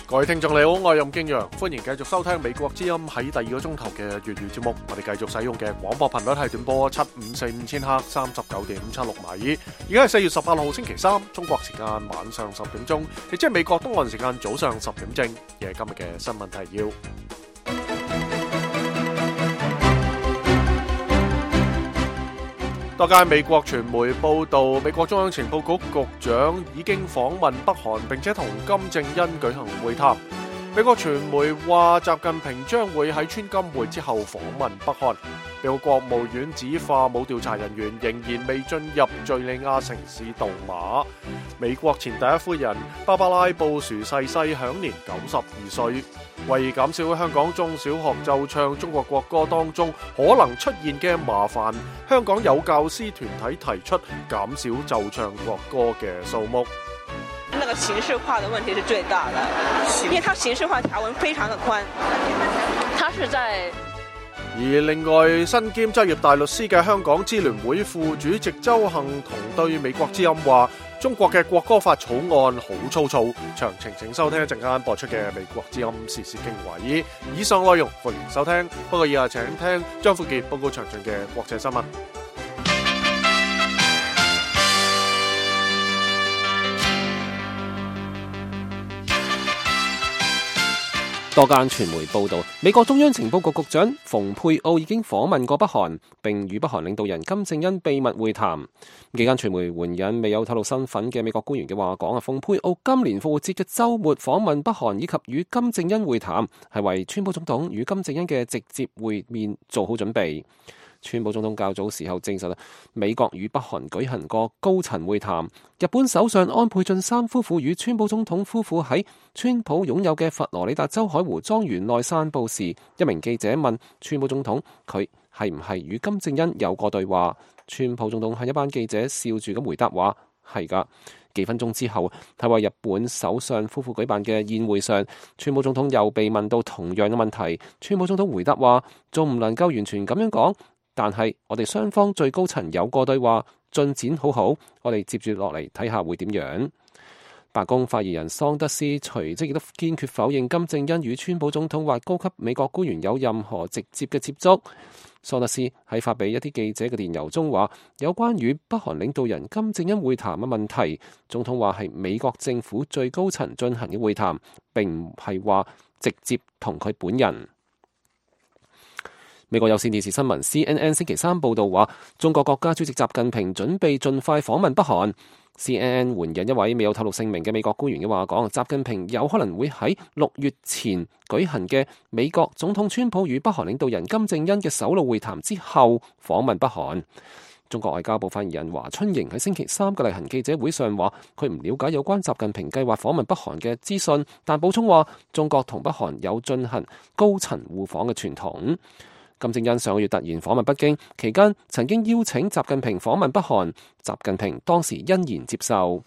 各位聽眾你好，我係任敬陽，歡迎繼續收聽美國之音喺第二個鐘頭嘅粵語節目。我哋繼續使用嘅廣播頻率係短波7545000赫39.76米。而家係4月18號星期三，中國時間晚上10點鐘，亦即係美國東岸時間早上10點正。嘅今日嘅新聞提要。多間美國傳媒報道，美國中央情報局局長已經訪問北韓，並且同金正恩舉行會談。美國傳媒話，習近平將會喺川金會之後訪問北韓。美國國務院指化武調查人員仍然未進入敘利亞城市杜馬。美國前第一夫人芭芭拉布殊逝世，享年92歲。為減少香港中小學奏唱中國國歌當中可能出現嘅麻煩，香港有教師團體提出減少奏唱國歌嘅數目。那個形式化的問題是最大的，因為它形式化條文非常的寬，它是在。而另外，身兼執業大律師嘅香港支聯會副主席周幸彤對美國之音話，中國嘅國歌法草案好粗糙。詳情請收聽一陣間播出嘅美國之音時事經緯。以上內容歡迎收聽，不過以下請聽張富傑報告詳盡嘅國際新聞。多間傳媒報道，美國中央情報局局長蓬佩奧已經訪問過北韓，並與北韓領導人金正恩秘密會談。幾間傳媒援引未有透露身份嘅美國官員嘅話講，蓬佩奧今年復活節嘅週末訪問北韓以及與金正恩會談，係為川普總統與金正恩嘅直接會面做好準備。川普總統較早時候證實，美國與北韓舉行過高層會談。日本首相安倍晉三夫婦與川普總統夫婦喺川普擁有嘅佛羅里達州海湖莊園內散步時，一名記者問川普總統佢係唔係與金正恩有過對話。川普總統喺一班記者笑住咁回答話係㗎。幾分鐘之後，喺為日本首相夫婦舉辦嘅宴會上，川普總統又被問到同樣嘅問題。川普總統回答話仲唔能夠完全咁樣講，但係我哋雙方最高層有過對話，進展好好，我哋接住落嚟睇下會點樣。白宮發言人桑德斯隨即亦都堅決否認金正恩與川普總統或高級美國官員有任何直接嘅接觸。桑德斯喺發俾一啲記者嘅電郵中話，有關與北韓領導人金正恩會談嘅問題，總統話係美國政府最高層進行嘅會談，並唔係話直接同佢本人。美國有線電視新聞 CNN 星期三報道話，中國國家主席習近平準備盡快訪問北韓。CNN 援引一位未有透露姓名嘅美國官員嘅話講，習近平有可能會喺6月前舉行嘅美國總統川普與北韓領導人金正恩嘅首腦會談之後訪問北韓。中國外交部發言人華春瑩喺星期三嘅例行記者會上話，佢唔了解有關習近平計劃訪問北韓嘅資訊，但補充話中國同北韓有進行高層互訪嘅傳統。金正恩上個月突然訪問北京，期間曾經邀請習近平訪問北韓，習近平當時欣然接受。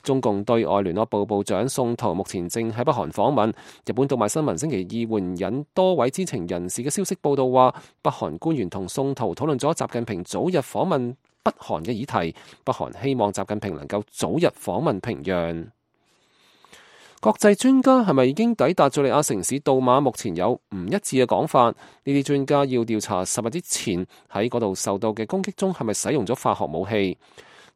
中共對外聯絡部部長宋濤目前正喺北韓訪問。日本讀賣新聞星期二援引多位知情人士嘅消息報道話，北韓官員同宋濤討論咗習近平早日訪問北韓嘅議題，北韓希望習近平能夠早日訪問平壤。國際專家係咪已經抵達敘利亞城市杜馬？目前有唔一致嘅講法。呢啲專家要調查10日之前喺嗰度受到嘅攻擊中係咪使用咗化學武器。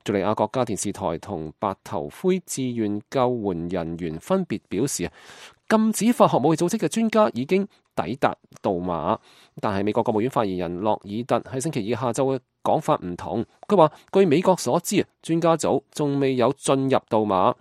敘利亞國家電視台同白頭盔志願救援人員分別表示，禁止化學武器組織嘅專家已經抵達杜馬。但係美國國務院發言人洛爾特喺星期二下晝嘅講法唔同，佢話據美國所知，專家組仲未有進入杜馬。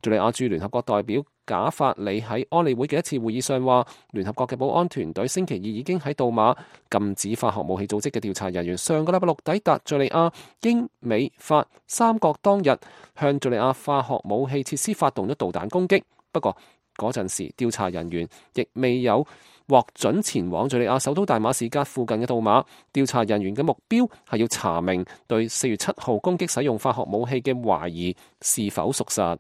敘利亞駐聯合國代表賈法里喺安理會嘅一次會議上話，聯合國嘅保安團隊星期二已經喺杜馬禁止化學武器組織嘅調查人員上個禮拜六抵達敘利亞，英美法三國當日向敘利亞化學武器設施發動咗導彈攻擊。不過嗰陣時調查人員亦未有獲准前往敘利亞首都大馬士革附近嘅杜馬。調查人員嘅目標係要查明對4月7號攻擊使用化學武器嘅懷疑是否屬實。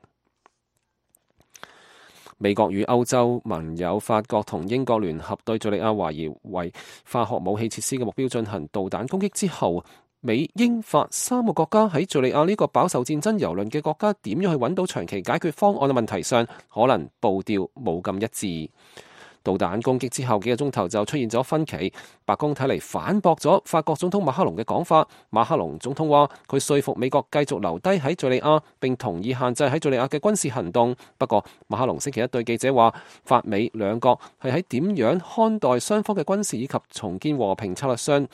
美國與歐洲盟友法國同英國聯合對敘利亞懷疑為化學武器設施嘅目標進行導彈攻擊之後，美、英、法三個國家喺敘利亞呢個飽受戰爭蹂躪嘅國家點樣去揾到長期解決方案嘅問題上，可能步調冇咁一致。導彈攻擊之後幾個鐘頭就出現咗分歧，白宮睇嚟反駁咗法國總統馬克龍嘅講法。馬克龍總統話佢說服美國繼續留低喺敘利亞，並同意限制喺敘利亞嘅軍事行動。不過馬克龍星期一對記者話，法美兩國係喺點樣看待雙方嘅軍事以及重建和平策略上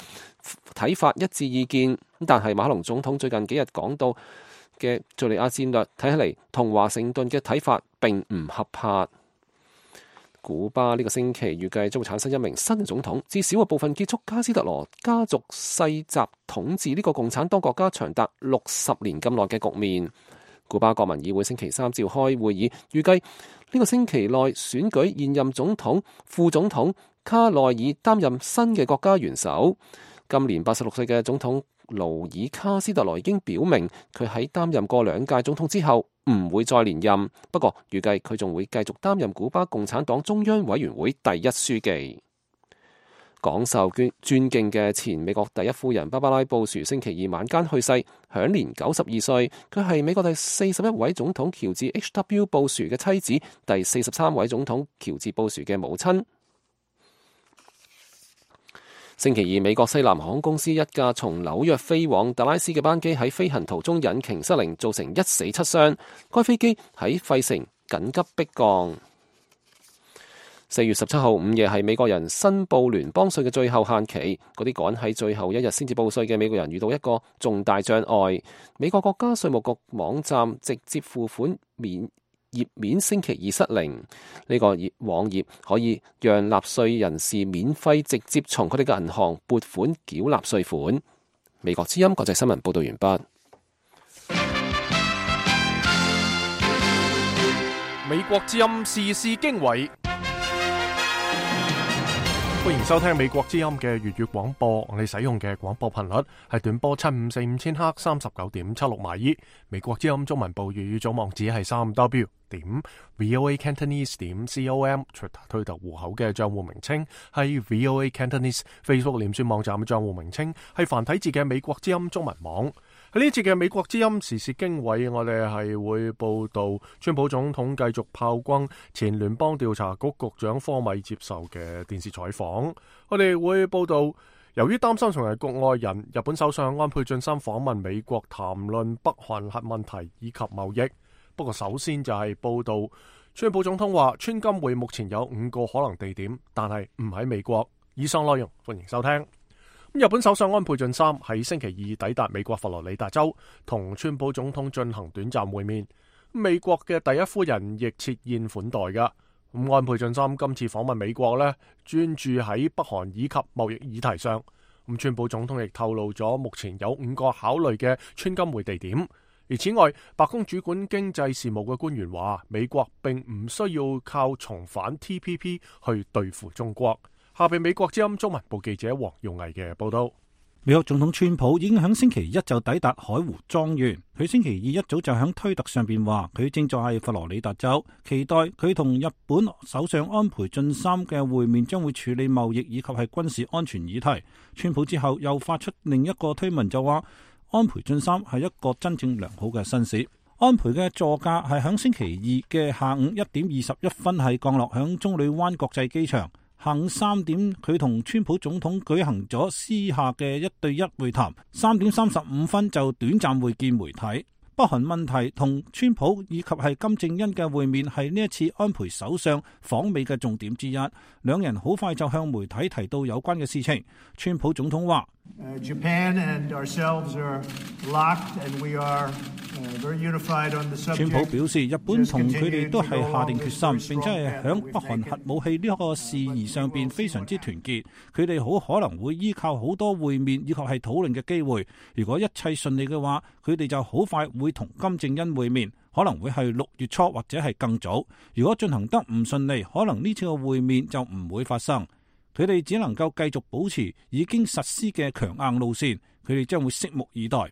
睇法一致意見。但係馬克龍總統最近幾日講到嘅敘利亞戰略睇起嚟同華盛頓嘅睇法並唔合拍。古巴呢個星期預計將會產生一名新嘅總統，至少部分結束卡斯特羅家族世襲統治呢個共產黨國家長達60年咁耐嘅局面。古巴國民議會星期三召開會議，預計呢個星期內選舉現任總統、副總統卡內爾擔任新嘅國家元首。今年86歲嘅總統勞爾卡斯特羅已經表明，佢喺擔任過2屆總統之後唔會再連任，不過預計佢仲會繼續擔任古巴共產黨中央委員會第1書記。廣受尊敬嘅前美國第1夫人芭芭拉布殊星期二晚間去世，享年92歲。佢係美國第41位總統喬治 H.W. 布殊嘅妻子，第43位總統喬治布殊嘅母親。星期二，美國西南航空公司一架從紐約飛往達拉斯嘅班機喺飛行途中引擎失靈，造成1死7傷。該飛機喺費城緊急迫降。4月17號午夜係美國人申報聯邦稅嘅最後限期，嗰啲趕喺最後一日先至報稅嘅美國人遇到一個重大障礙。美國國家稅務局網站直接付款頁面星期二失靈，呢個網頁可以讓納稅人士免費直接從佢哋嘅銀行撥款繳納稅款。美國之音國際新聞報道完畢。美國之音時事經緯，歡迎收聽美國之音嘅粵語廣播。我哋使用嘅廣播頻率係短波7545000赫39.76米。美國之音中文部粵語總網址係3w.voacantonese.com。推特戶口嘅賬戶名稱係 VOA Cantonese。Facebook 臉書網站嘅賬戶名稱係繁體字嘅美國之音中文網。喺呢節嘅美國之音時事經緯，我哋係會報道川普總統繼續炮轟前聯邦調查局局長科米接受嘅電視採訪。我哋會報道，由於擔心成為局外人，日本首相安倍晉三訪問美國談論北韓核問題以及貿易。不過首先就係報道，川普總統話川金會目前有5個可能地點，但係唔喺美國。以上內容歡迎收聽。日本首相安倍晉三喺星期二抵達美國佛羅里達州，同川普總統進行短暫會面。美國嘅第1夫人亦設宴款待噶。安倍晉三今次訪問美國呢，專注喺北韓以及貿易議題上。川普總統亦透露咗目前有5個考慮嘅川金會地點。而此外，白宮主管經濟事務嘅官員話，美國並唔需要靠重返 TPP 去對付中國。下邊美國之音中文部記者黃耀毅嘅報道。美國總統川普已經喺星期一就抵達海湖莊園。佢星期二一早就喺推特上邊話，佢正在喺佛羅里達州，期待佢同日本首相安倍晉三嘅會面將會處理貿易以及係軍事安全議題。川普之後又發出另一個推文就話，安倍晉三係一個真正良好嘅紳士。安倍嘅座駕係喺星期二嘅下午1點21分係降落響棕櫚灣國際機場。下午3點，佢同川普總統舉行咗私下嘅1對1會談。3點35分就短暫會見媒體。北韓問題同川普以及係金正恩嘅會面係呢一次安倍首相訪美嘅重點之一。兩人好快就向媒體提到有關嘅事情。川普總統話Japan and ourselves are locked and we are very unified on the subject. 川普表示，日本同佢哋都係下定決心，並且係響北韓核武器呢個事宜上邊非常之團結。佢哋好可能會依靠好多會面以及係討論嘅機會。如果一切順利嘅話，佢哋就好快會同金正恩會面，可能會係6月初或者係更早。如果進行得唔順利，可能呢次嘅會面就唔會發生。佢哋只能夠繼續保持已經實施嘅強硬路線，佢哋將會拭目以待。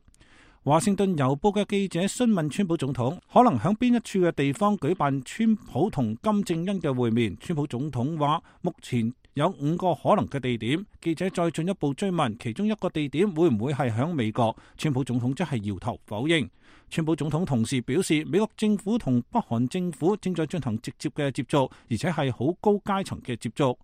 華盛頓郵報嘅記者詢問川普總統，可能喺邊一處嘅地方舉辦川普同金正恩嘅會面。川普總統話，目前有5個可能嘅地點。記者再進一步追問，其中一個地點會唔會係響美國？川普總統則係搖頭否認。川普總統同時表示，美國政府同北韓政府正在進行直接嘅接觸，而且係好高階層嘅接觸。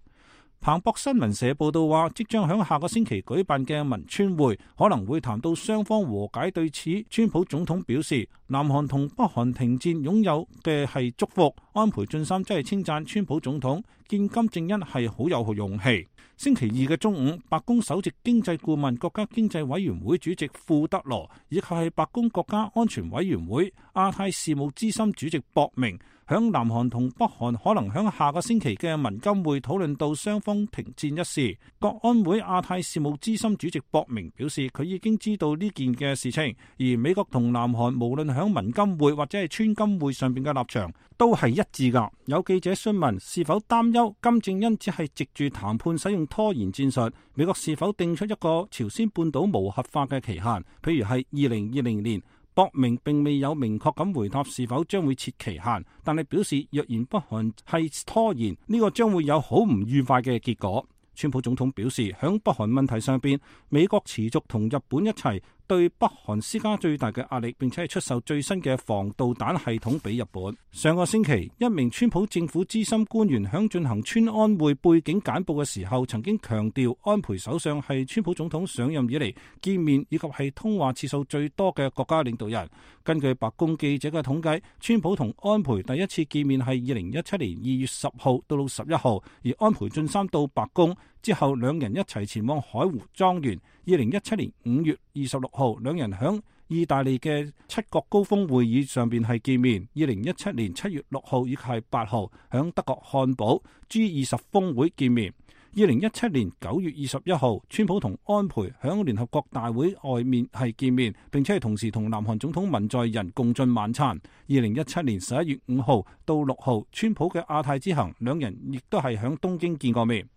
彭博新聞社報道話，即將響下個星期舉辦嘅文川會可能會談到雙方和解。對此，川普總統表示，南韓同北韓停戰擁有嘅係祝福。安倍晉三真係稱讚川普總統見金正恩係好有勇氣。星期二嘅中午，白宮首席經濟顧問、國家經濟委員會主席庫德羅，以及係白宮國家安全委員會亞太事務資深主席博明，響南韓同北韓可能響下個星期嘅文金會討論到雙方停戰一事。國安會亞太事務資深主席博明表示，佢已經知道呢件嘅事情，而美國同南韓無論響文金會或者係川金會上邊嘅立場都係一致㗎。有記者詢問是否擔憂金正恩只係藉住談判使用拖延戰術，美國是否定出一個朝鮮半島無核化嘅期限，譬如係2020年。博明並未有明確咁回答是否將會設期限，但係表示若然北韓係拖延，呢個將會有好唔愉快嘅結果。川普總統表示，響北韓問題上邊，美國持續同日本一齊對北韓施加最大嘅壓力，並且係出售最新嘅防導彈系統俾日本。上個星期，一名川普政府資深官員響進行川安會背景簡報嘅時候，曾經強調安倍首相係川普總統上任以嚟見面以及係通話次數最多嘅國家領導人。根據白宮記者嘅統計，川普同安倍第一次見面係2017年2月10號到11號，而安倍晉三到白宮之後，兩人一齊前往海湖莊園。2017年5月26號，兩人響意大利嘅七國高峰會議上邊係見面。2017年7月6號以及係8號，響德國漢堡 G20 峰會見面。2017年9月21號，川普同安倍響聯合國大會外面係見面，並且係同時同南韓總統文在寅共進晚餐。2017年11月5號到6號，川普嘅亞太之行，兩人亦都係響東京見過面。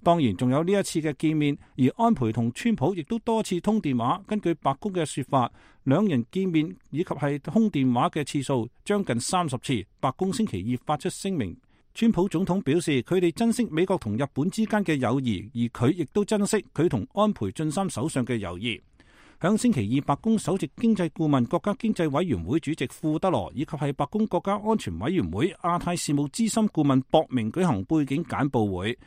當然仲有呢一次嘅見面，而安倍同川普亦都多次通電話。根據白宮嘅說法，兩人見面以及係通電話嘅次數將近30次。白宮星期二發出聲明，川普總統表示佢哋珍惜美國同日本之間嘅友誼，而佢亦都珍惜佢同安倍晉三首相嘅友誼。響星期二，白宮首席經濟顧問、國家經濟委員會主席庫德羅以及係白宮國家安全委員會亞太事務資深顧問博明舉行背景簡報會。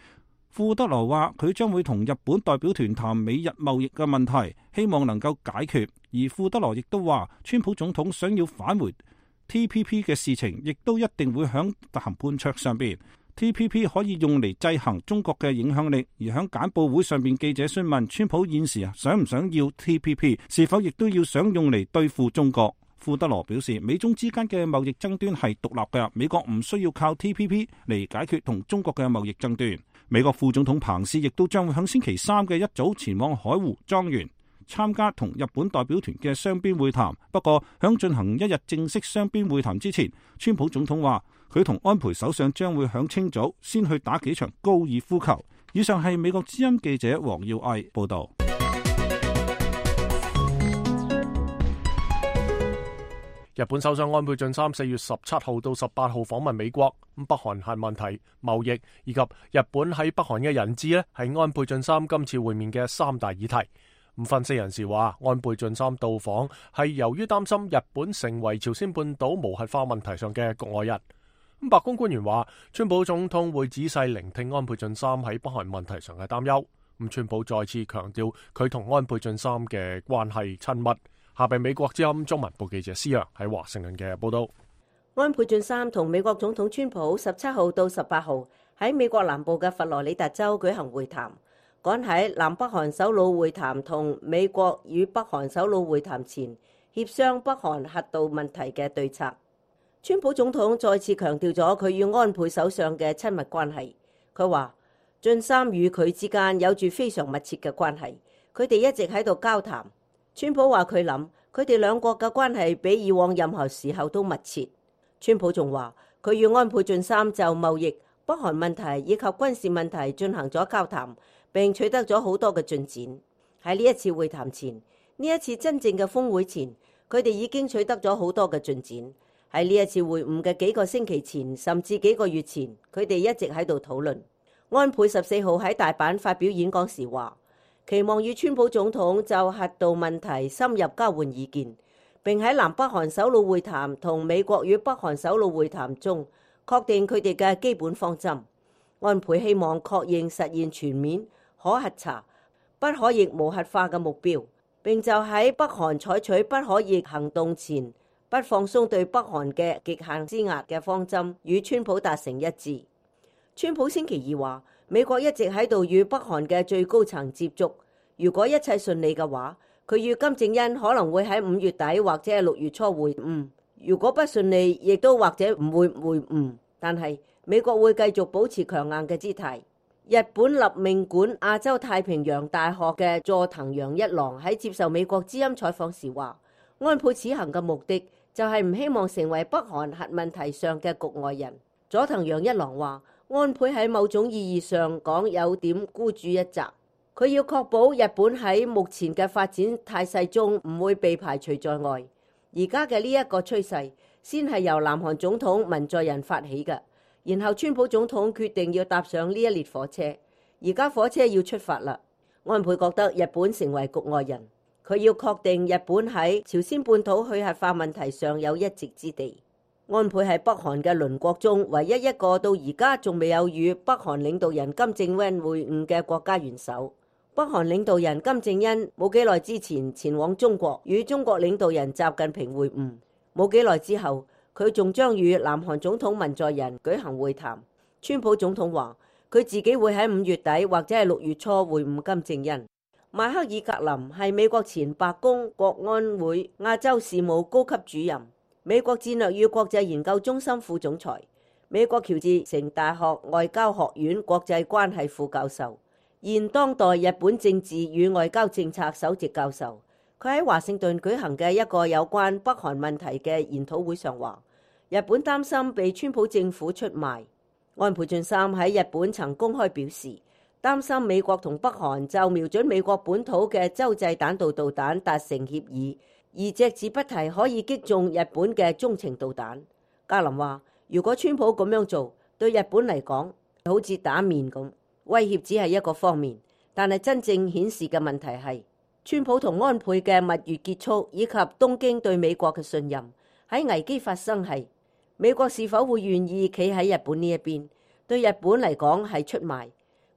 庫德羅話佢將會同日本代表團談美日貿易嘅問題，希望能夠解決。而庫德羅亦都話，川普總統想要返回 TPP 嘅事情，亦都一定會響談判桌上邊。TPP 可以用嚟制衡中國嘅影響力。而響簡報會上邊，記者詢問川普現時想唔想要 TPP， 是否亦都要想用嚟對付中國。庫德羅表示，美中之間嘅貿易爭端係獨立嘅，美國唔需要靠 TPP 嚟解決同中國嘅貿易爭端。美國副總統彭斯亦都將會喺星期三嘅一早前往海湖莊園參加同日本代表團嘅雙邊會談。不過響進行一日正式雙邊會談之前，川普總統話佢同安倍首相將會響清早先去打幾場高爾夫球。以上係美國之音記者黃耀毅報道。日本首相安倍晉三4月17號到18號訪問美國，北韓核問題、貿易以及日本喺北韓嘅人質呢，係安倍晉三今次會面嘅三大議題。分析人士話，安倍晉三到訪係由於擔心日本成為朝鮮半島無核化問題上嘅局外人。白宮官員話，川普總統會仔細聆聽安倍晉三喺北韓問題上嘅擔憂。川普再次強調佢同安倍晉三嘅關係親密。下邊美國之音中文部記者施洋喺華盛頓嘅報道。安倍晉三同美國總統川普17號到18號喺美國南部嘅佛羅里達州舉行會談，趕喺南北韓首腦會談同美國與北韓首腦會談前協商北韓核導問題嘅對策。川普總統再次強調咗佢與安倍首相嘅親密關係。佢話晉三與佢之間有住非常密切嘅關係，佢哋一直喺度交談。川普話佢諗佢哋兩國嘅關係比以往任何時候都密切。川普仲話佢與安倍晉三就貿易、北韓問題以及軍事問題進行咗交談，並取得咗好多嘅進展。喺呢一次會談前，呢一次真正嘅峰會前，佢哋已經取得咗好多嘅進展。喺呢一次會晤嘅幾個星期前，甚至幾個月前，佢哋一直喺度討論。安倍14號喺大阪發表演講時話，期望與川普總統就核導問題深入交換意見，並喺南北韓首腦會談同美國與北韓首腦會談中確定佢哋嘅基本方針。安倍希望確認實現全面可核查、不可逆無核化嘅目標，並就喺北韓採取不可逆行動前不放鬆對北韓嘅極限施壓嘅方針，與川普達成一致。川普星期二話，美國一直喺度與北韓嘅最高層接觸，如果一切順利嘅話，佢與金正恩可能會喺5月底或者係6月初會晤。如果不順利，亦都或者唔會會晤。但係美國會繼續保持強硬嘅姿態。日本立命館亞洲太平洋大學嘅佐藤陽一郎喺接受美國之音採訪時話，安倍此行嘅目的就係唔希望成為北韓核問題上嘅局外人。佐藤陽一郎話，安倍喺某種意義上講有點孤注一擲，佢要確保日本喺目前嘅發展態勢中唔會被排除在外。而家嘅呢一個趨勢先係由南韓總統文在寅發起嘅，然後川普總統決定要搭上呢一列火車，而家火車要出發啦。安倍覺得日本成為局外人，佢要確定日本喺朝鮮半島去核化問題上有一席之地。安倍係北韓嘅鄰國中唯一一個到而家仲未有與北韓領導人金正恩會晤嘅國家元首。北韓領導人金正恩冇幾耐之前前往中國與中國領導人習近平會晤，冇幾耐之後佢仲將與南韓總統文在寅舉行會談。川普總統話佢自己會喺5月底或者係6月初會晤金正恩。邁克爾格林係美國前白宮國安會亞洲事務高級主任，美國戰略與國際研究中心副總裁，美國喬治城大學外交學院國際關係副教授，現當代日本政治與外交政策首席教授。佢喺華盛頓舉行嘅一個有關北韓問題嘅研討會上話，日本擔心被川普政府出賣。安倍晉三喺日本曾公開表示，擔心美國同北韓就瞄準美國本土嘅洲際彈道導彈達成協議，而隻字不提可以擊中日本嘅中程導彈。格林話，如果川普咁樣做，對日本嚟講好似打面咁，威脅只係一個方面，但係真正顯示嘅問題係川普同安倍嘅蜜月結束，以及東京對美國嘅信任。喺危機發生係美國是否會願意企喺日本呢一邊，對日本嚟講係出賣。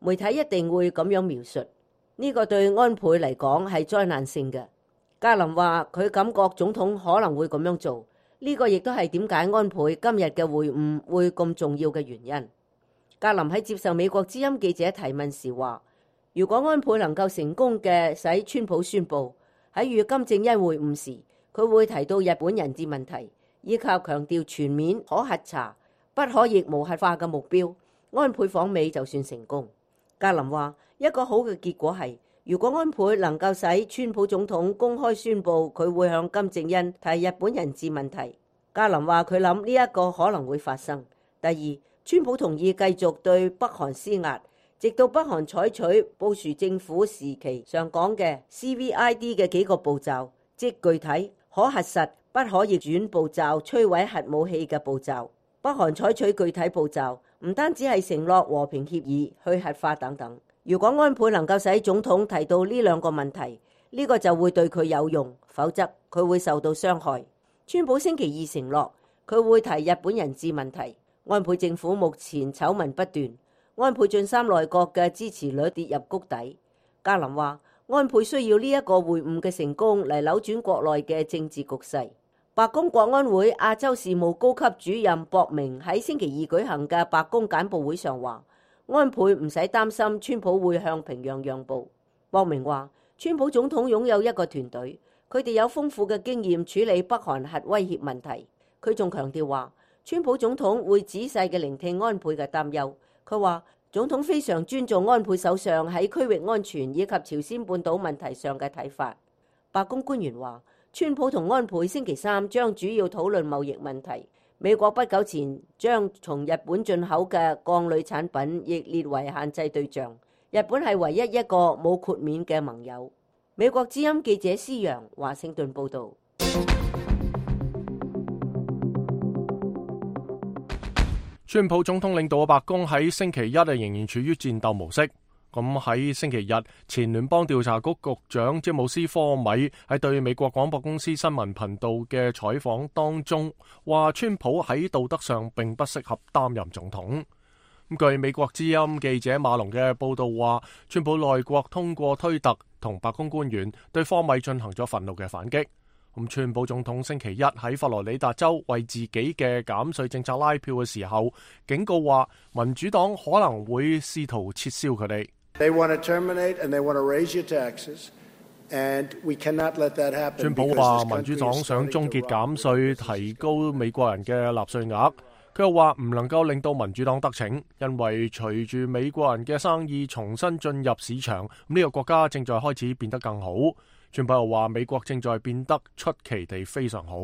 媒體一定會咁樣描述，呢個對安倍嚟講係災難性嘅。格林話佢感覺總統可能會咁樣做，呢個亦都係點解安倍今日嘅會晤會咁重要嘅原因。格林喺接受美國之音記者提問時話，如果安倍能夠成功嘅使川普宣布喺與金正恩會晤時，佢會提到日本人質問題，以及強調全面可核查、不可逆無核化嘅目標，安倍訪美就算成功。格林話一個好嘅結果係，如果安倍能夠使川普總統公開宣布佢會向金正恩提日本人質問題。格林話佢諗呢一個可能會發生。第二，川普同意繼續對北韓施壓，直到北韓採取布殊政府時期上講嘅 CVID 嘅幾個步驟，即具體、可核實、不可逆轉步驟，摧毀核武器嘅步驟。北韓採取具體步驟，唔單止係承諾和平協議、去核化等等。如果安倍能夠使總統提到呢兩個問題，呢個就會對佢有用，否則佢會受到傷害。川普星期二承諾佢會提日本人質問題。安倍政府目前醜聞不斷，安倍晉三內閣嘅支持率跌入谷底。格林話安倍需要呢一個會晤嘅成功嚟扭轉國內嘅政治局勢。白宮國安會亞洲事務高級主任博明喺星期二舉行嘅白宮簡報會上話，安倍唔使擔心川普會向平壤讓步。博明話，川普總統擁有一個團隊，佢哋有豐富嘅經驗處理北韓核威脅問題。佢仲強調話，川普總統會仔細嘅聆聽安倍嘅擔憂。佢話，總統非常尊重安倍首相喺區域安全以及朝鮮半島問題上嘅睇法。白宮官員話，川普同安倍星期三將主要討論貿易問題。美國不久前將從日本進口嘅鋼鋁產品亦列為限制對象。日本係唯一一個冇豁免嘅盟友。美國之音記者施洋華盛頓報導。川普總統領導嘅白宮喺星期一仍然處於戰鬥模式。咁喺星期日，前聯邦調查局局長詹姆斯科米喺對美國廣播公司新聞頻道嘅採訪當中，話川普喺道德上並不適合擔任總統。據美國之音記者馬龍嘅報道話，川普內閣通過推特同白宮官員對科米進行咗憤怒嘅反擊。川普總統星期一喺佛羅里達州為自己嘅減稅政策拉票嘅時候，警告話民主黨可能會試圖撤銷佢哋。川普話民主黨想終結減稅，提高美國人嘅納稅額。佢又話唔能夠令到民主黨得逞，因為隨住美國人嘅生意重新進入市場，呢個國家正在開始變得更好。川普又話美國正在變得出奇地非常好。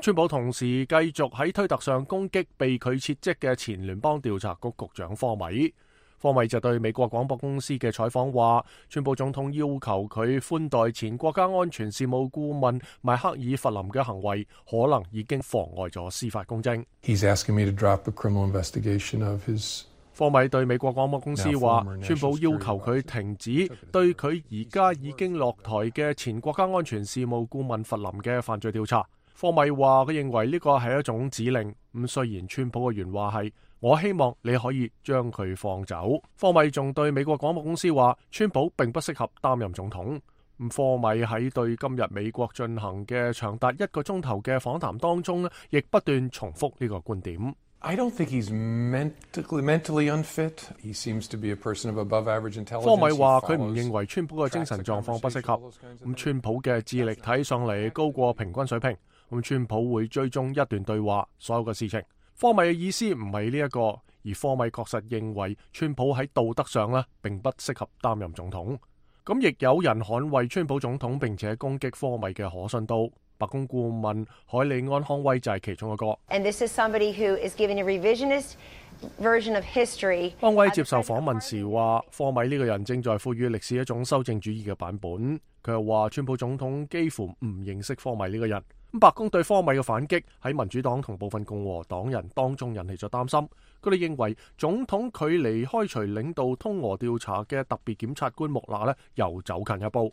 川普同時繼續喺推特上攻擊被佢撤職嘅前聯邦調查局局長科米。科米就對美國廣播公司嘅採訪話，川普總統要求佢寬待前國家安全事務顧問邁克爾弗林嘅行為，可能已經妨礙咗司法公正。科米對美國廣播公司話，川普要求佢停止對佢而家已經落台嘅前國家安全事務顧問弗林嘅犯罪調查。科米話佢認為呢個係一種指令。雖然川普嘅原話係我希望你可以將佢放走。科米仲對美國廣播公司話，川普並不適合擔任總統。科米喺對今日美國進行嘅長達1個鐘頭嘅訪談當中，亦不斷重複呢個觀點。I don't think he's mentally unfit. He seems to be a person of above average intelligence. 科米話佢唔認為川普嘅精神狀況不適合。川普嘅智力睇上嚟高過平均水平。川普會追蹤一段對話，所有嘅事情。科米嘅意思唔係呢一個，而科米確實認為川普喺道德上呢並不適合擔任總統。咁亦有人捍衛川普總統並且攻擊科米嘅可信度。白宮顧問海利安康威就係其中一個。And this is somebody who is giving a revisionist version of history. 康威接受訪問時話，科米呢個人正在賦予歷史一種修正主義嘅版本。佢又話，川普總統幾乎唔認識科米呢個人。白宮對科米嘅反擊喺民主黨同部分共和黨人當中引起咗擔心。佢哋認為總統距離開除領導通俄調查嘅特別檢察官穆勒呢又走近一步。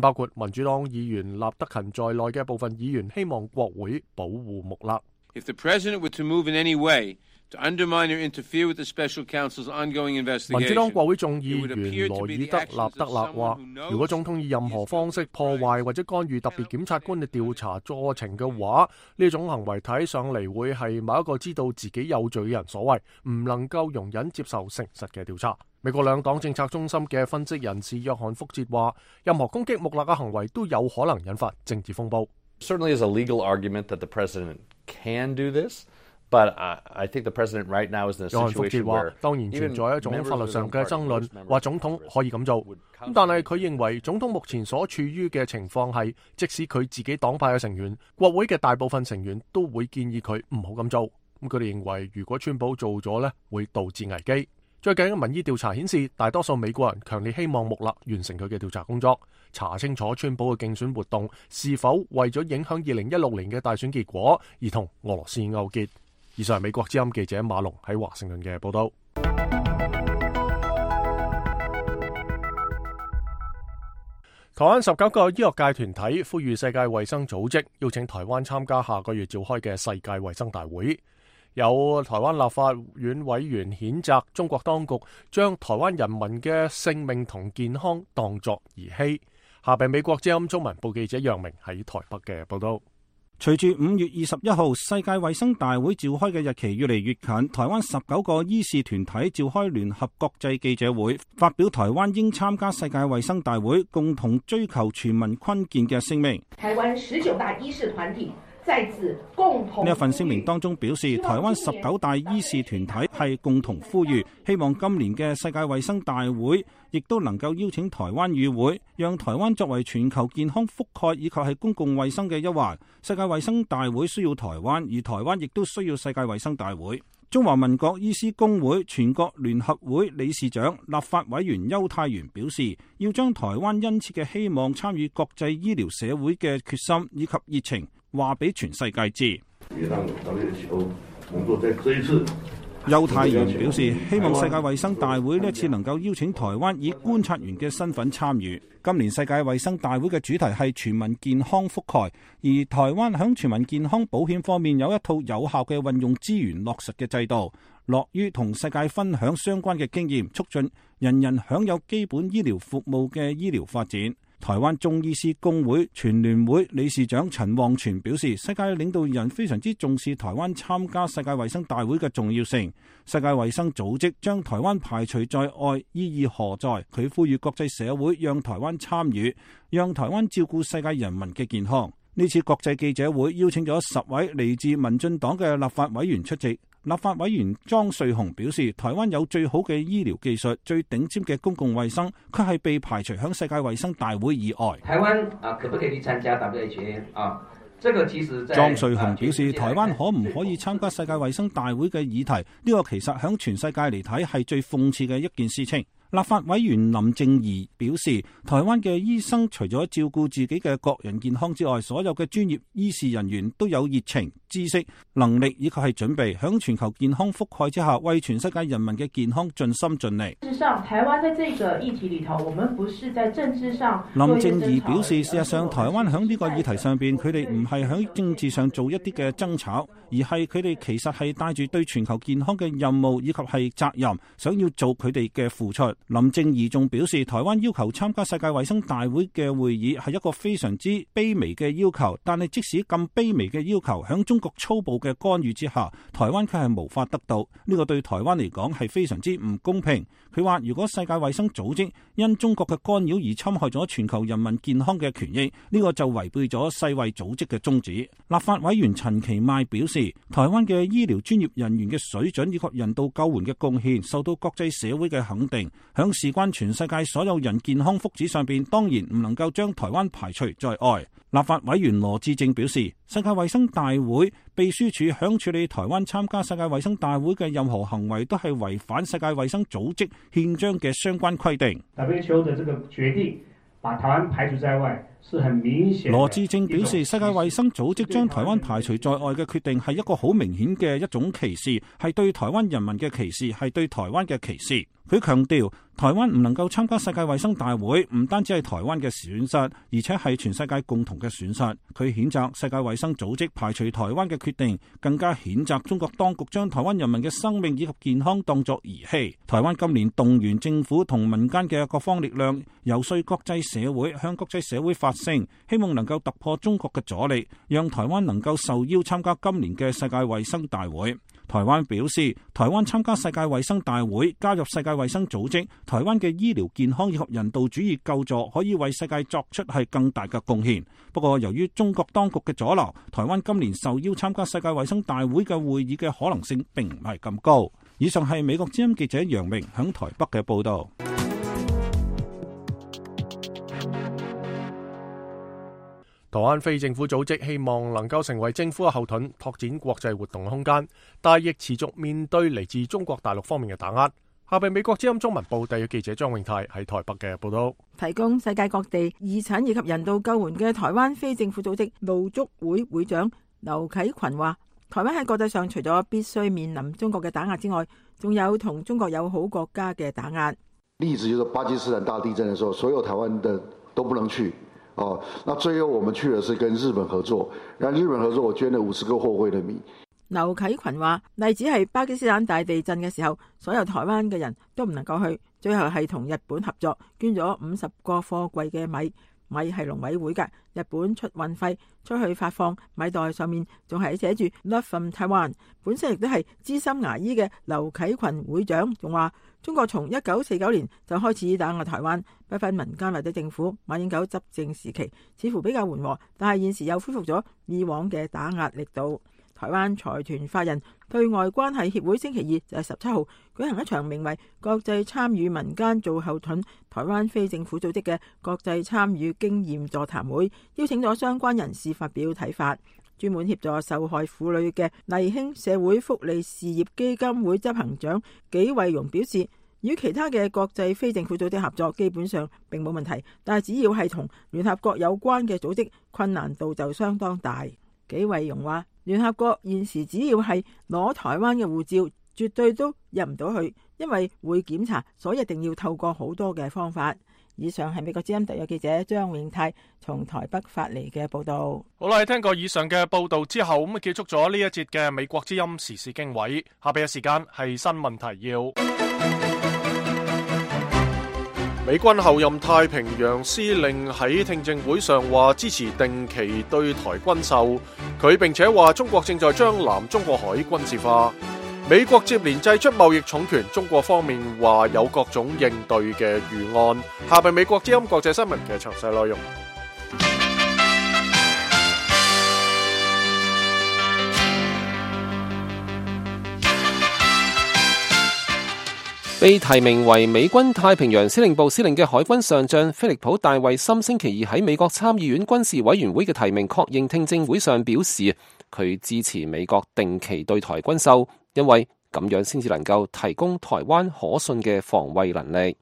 包括民主黨議員納德勤在內嘅部分議員希望國會保護穆勒。If the president were to move in any way to undermine or interfere with the special counsel's ongoing investigation, 民主黨國會眾議員羅爾德納德勒話，如果總統以任何方式破壞或者干預特別檢察官嘅調查過程嘅話，呢種行為睇上嚟會係某一個知道自己有罪嘅人所為，唔能夠容忍接受誠實嘅調查。美國兩黨政策中心嘅分析人士約翰福捷話，任何攻擊穆勒嘅行為都有可能引發政治風暴。Certainly is a legal argument that the president can do this, but I think the president right now is in a situation where 約翰福捷話，當然存在一種法律上嘅爭論，話總統可以咁做。但係佢認為總統目前所處於嘅情況係，即使佢自己黨派嘅成員、國會嘅大部分成員都會建議佢唔好咁做。佢哋認為，如果川普做咗呢，會導致危機。最近嘅民意調查顯示，大多數美國人強烈希望穆勒完成佢嘅調查工作，查清楚川普嘅競選活動是否為咗影響2016年嘅大選結果而同俄羅斯勾結。以上係美國之音記者馬龍喺華盛頓嘅報道。台灣19個醫學界團體呼籲世界衛生組織邀請台灣參加下個月召開嘅世界衛生大會。有台灣立法院委員譴責中國當局將台灣人民嘅性命同健康當作兒戲。下邊美國之音中文部記者楊明喺台北嘅報道。隨住5月21號世界衛生大會召開嘅日期越嚟越近，台灣19個醫事團體召開聯合國際記者會，發表台灣應參加世界衛生大會，共同追求全民坤健嘅聲明。台灣19大醫事團體在此共同，呢一份聲明當中表示，台灣19大醫事團體係共同呼籲，希望今年嘅世界衛生大會亦都能夠邀請台灣與會，讓台灣作為全球健康覆蓋以及係公共衛生嘅一環。世界衛生大會需要台灣，而台灣亦都需要世界衛生大會。中華民國醫師公會全國聯合會理事長、立法委員邱泰元表示，要將台灣殷切嘅希望參與國際醫療社會嘅決心以及熱情話俾全世界知。也讓 WHO 同作在這一次。邱太元表示，希望世界衛生大會呢一次能夠邀請台灣以觀察員嘅身份參與。今年世界衛生大會嘅主題係全民健康覆蓋，而台灣響全民健康保險方面有一套有效嘅運用資源落實嘅制度，樂於同世界分享相關嘅經驗，促進人人享有基本醫療服務嘅醫療發展。台灣中醫師公會全聯會理事長陳旺全表示，世界領導人非常之重視台灣參加世界衛生大會嘅重要性。世界衛生組織將台灣排除在外，意義何在？佢呼籲國際社會讓台灣參與，讓台灣照顧世界人民嘅健康。呢次國際記者會邀請咗10位嚟自民進黨嘅立法委員出席。立法委員莊瑞雄表示，台灣有最好嘅醫療技術、最頂尖嘅公共衛生，卻係被排除響世界衛生大會以外。台灣可不可以去參加 WHO 啊？這個其實莊瑞雄表示，台灣可唔可以參加世界衛生大會嘅議題，呢個其實響全世界嚟睇係最諷刺嘅一件事情。立法委員林正儀表示，台灣嘅醫生除咗照顧自己嘅個人健康之外，所有嘅專業醫事人員都有熱情、知識、能力以及係準備，響全球健康覆蓋之下，為全世界人民嘅健康盡心盡力。事實上，台灣在這個議題裏頭，我們不是在政治上。林正儀表示，事實上台灣響呢個議題上邊，佢哋唔係響政治上做一啲嘅爭吵，而係佢哋其實係帶住對全球健康嘅任務以及係責任，想要做佢哋嘅付出。林正儀仲表示，台灣要求參加世界衛生大會嘅會議係一個非常之卑微嘅要求，但係即使咁卑微嘅要求，響中國粗暴嘅干預之下，台灣卻係無法得到。呢個對台灣嚟講係非常之唔公平。佢話，如果世界衛生組織因中國嘅干擾而侵害咗全球人民健康嘅權益，呢個就違背咗世衛組織嘅宗旨。立法委員陳其邁表示，台灣嘅醫療專業人員嘅水準以及人道救援嘅貢獻受到國際社會嘅肯定，響事關全世界所有人健康福祉上邊，當然唔能夠將台灣排除在外。立法委員羅致政表示，世界衛生大會秘書處響處理台灣參加世界衛生大會嘅任何行為，都係違反世界衛生組織憲章嘅相關規定。WHO 的這個決定把台灣排除在外，是很明顯。羅致政表示，世界衛生組織將台灣排除在外嘅決定係一個好明顯嘅一種歧視，係對台灣人民嘅歧視，係對台灣嘅歧視。佢強調，台灣唔能夠參加世界衛生大會，唔單止係台灣嘅損失，而且係全世界共同嘅損失。佢譴責世界衛生組織排除台灣嘅決定，更加譴責中國當局將台灣人民嘅生命以及健康當作兒戲。台灣今年動員政府同民間嘅各方力量，游說國際社會，向國際社會發聲，希望能夠突破中國嘅阻力，讓台灣能夠受邀參加今年嘅世界衛生大會。台灣表示，台灣參加世界衛生大會，加入世界衛生組織，台灣嘅醫療健康以及人道主義救助可以為世界作出係更大嘅貢獻。不過，由於中國當局嘅阻撓，台灣今年受邀參加世界衛生大會嘅會議嘅可能性並唔係咁高。以上係美國之音記者楊明響台北嘅報道。台灣非政府組織希望能夠成為政府嘅後盾，拓展國際活動嘅空間，但亦持續面對嚟自中國大陸方面嘅打壓。下邊美國之音中文報第嘅記者張永泰喺台北嘅報道。提供世界各地義診以及人道救援嘅台灣非政府組織路竹會會長劉啟群話，台灣喺國際上除咗必須面臨中國嘅打壓之外，仲有同中國友好國家嘅打壓。例子就是巴基斯坦大地震的時候，所有台灣的都不能去。那最後我們去的是跟日本合作，然後日本合作，我捐了50個貨櫃的米。劉啟群話，例子係巴基斯坦大地震嘅時候，所有台灣嘅人都唔能夠去，最後係同日本合作，捐咗50個貨櫃嘅米。米係農委會嘅，日本出運費出去發放米袋，上面仲係寫住 Love from Taiwan。本身亦都係資深牙醫嘅劉啟群會長仲話，中國從1949年就開始打壓台灣，不分民間或者政府。馬英九執政時期似乎比較緩和，但係現時又恢復咗以往嘅打壓力度。台灣財團法人對外關係協會星期二就係17號舉行一場名為國際參與民間做後盾台灣非政府組織嘅國際參與經驗座談會，邀請咗相關人士發表睇法。專門協助受害婦女嘅勵興社會福利事業基金會執行長紀惠容表示，與其他嘅國際非政府組織合作基本上並冇問題，但係只要係同聯合國有關嘅組織，困難度就相當大。紀惠容話，聯合國現時只要係攞台灣嘅護照，絕對都入唔到去，因為會檢查，所以一定要透過好多嘅方法。以上係美國之音特約記者張永泰從台北發嚟嘅報道。好啦，聽過以上嘅報道之後，咁結束咗呢一節嘅美國之音時事經緯。下邊嘅時間係新聞提要。美軍後任太平洋司令喺聽證會上話支持定期對台軍售，佢並且話中國正在將南中國海軍事化。美國接連祭出貿易重拳，中國方面話有各種應對嘅預案。下邊美國之音國際新聞嘅詳細內容。被提名為美軍太平洋司令部司令嘅海軍上將菲利普·戴維森星期二喺美國參議院軍事委員會嘅提名確認聽證會上表示，佢支持美國定期對台軍售，因為咁樣先至能夠提供台灣可信嘅防衛能力。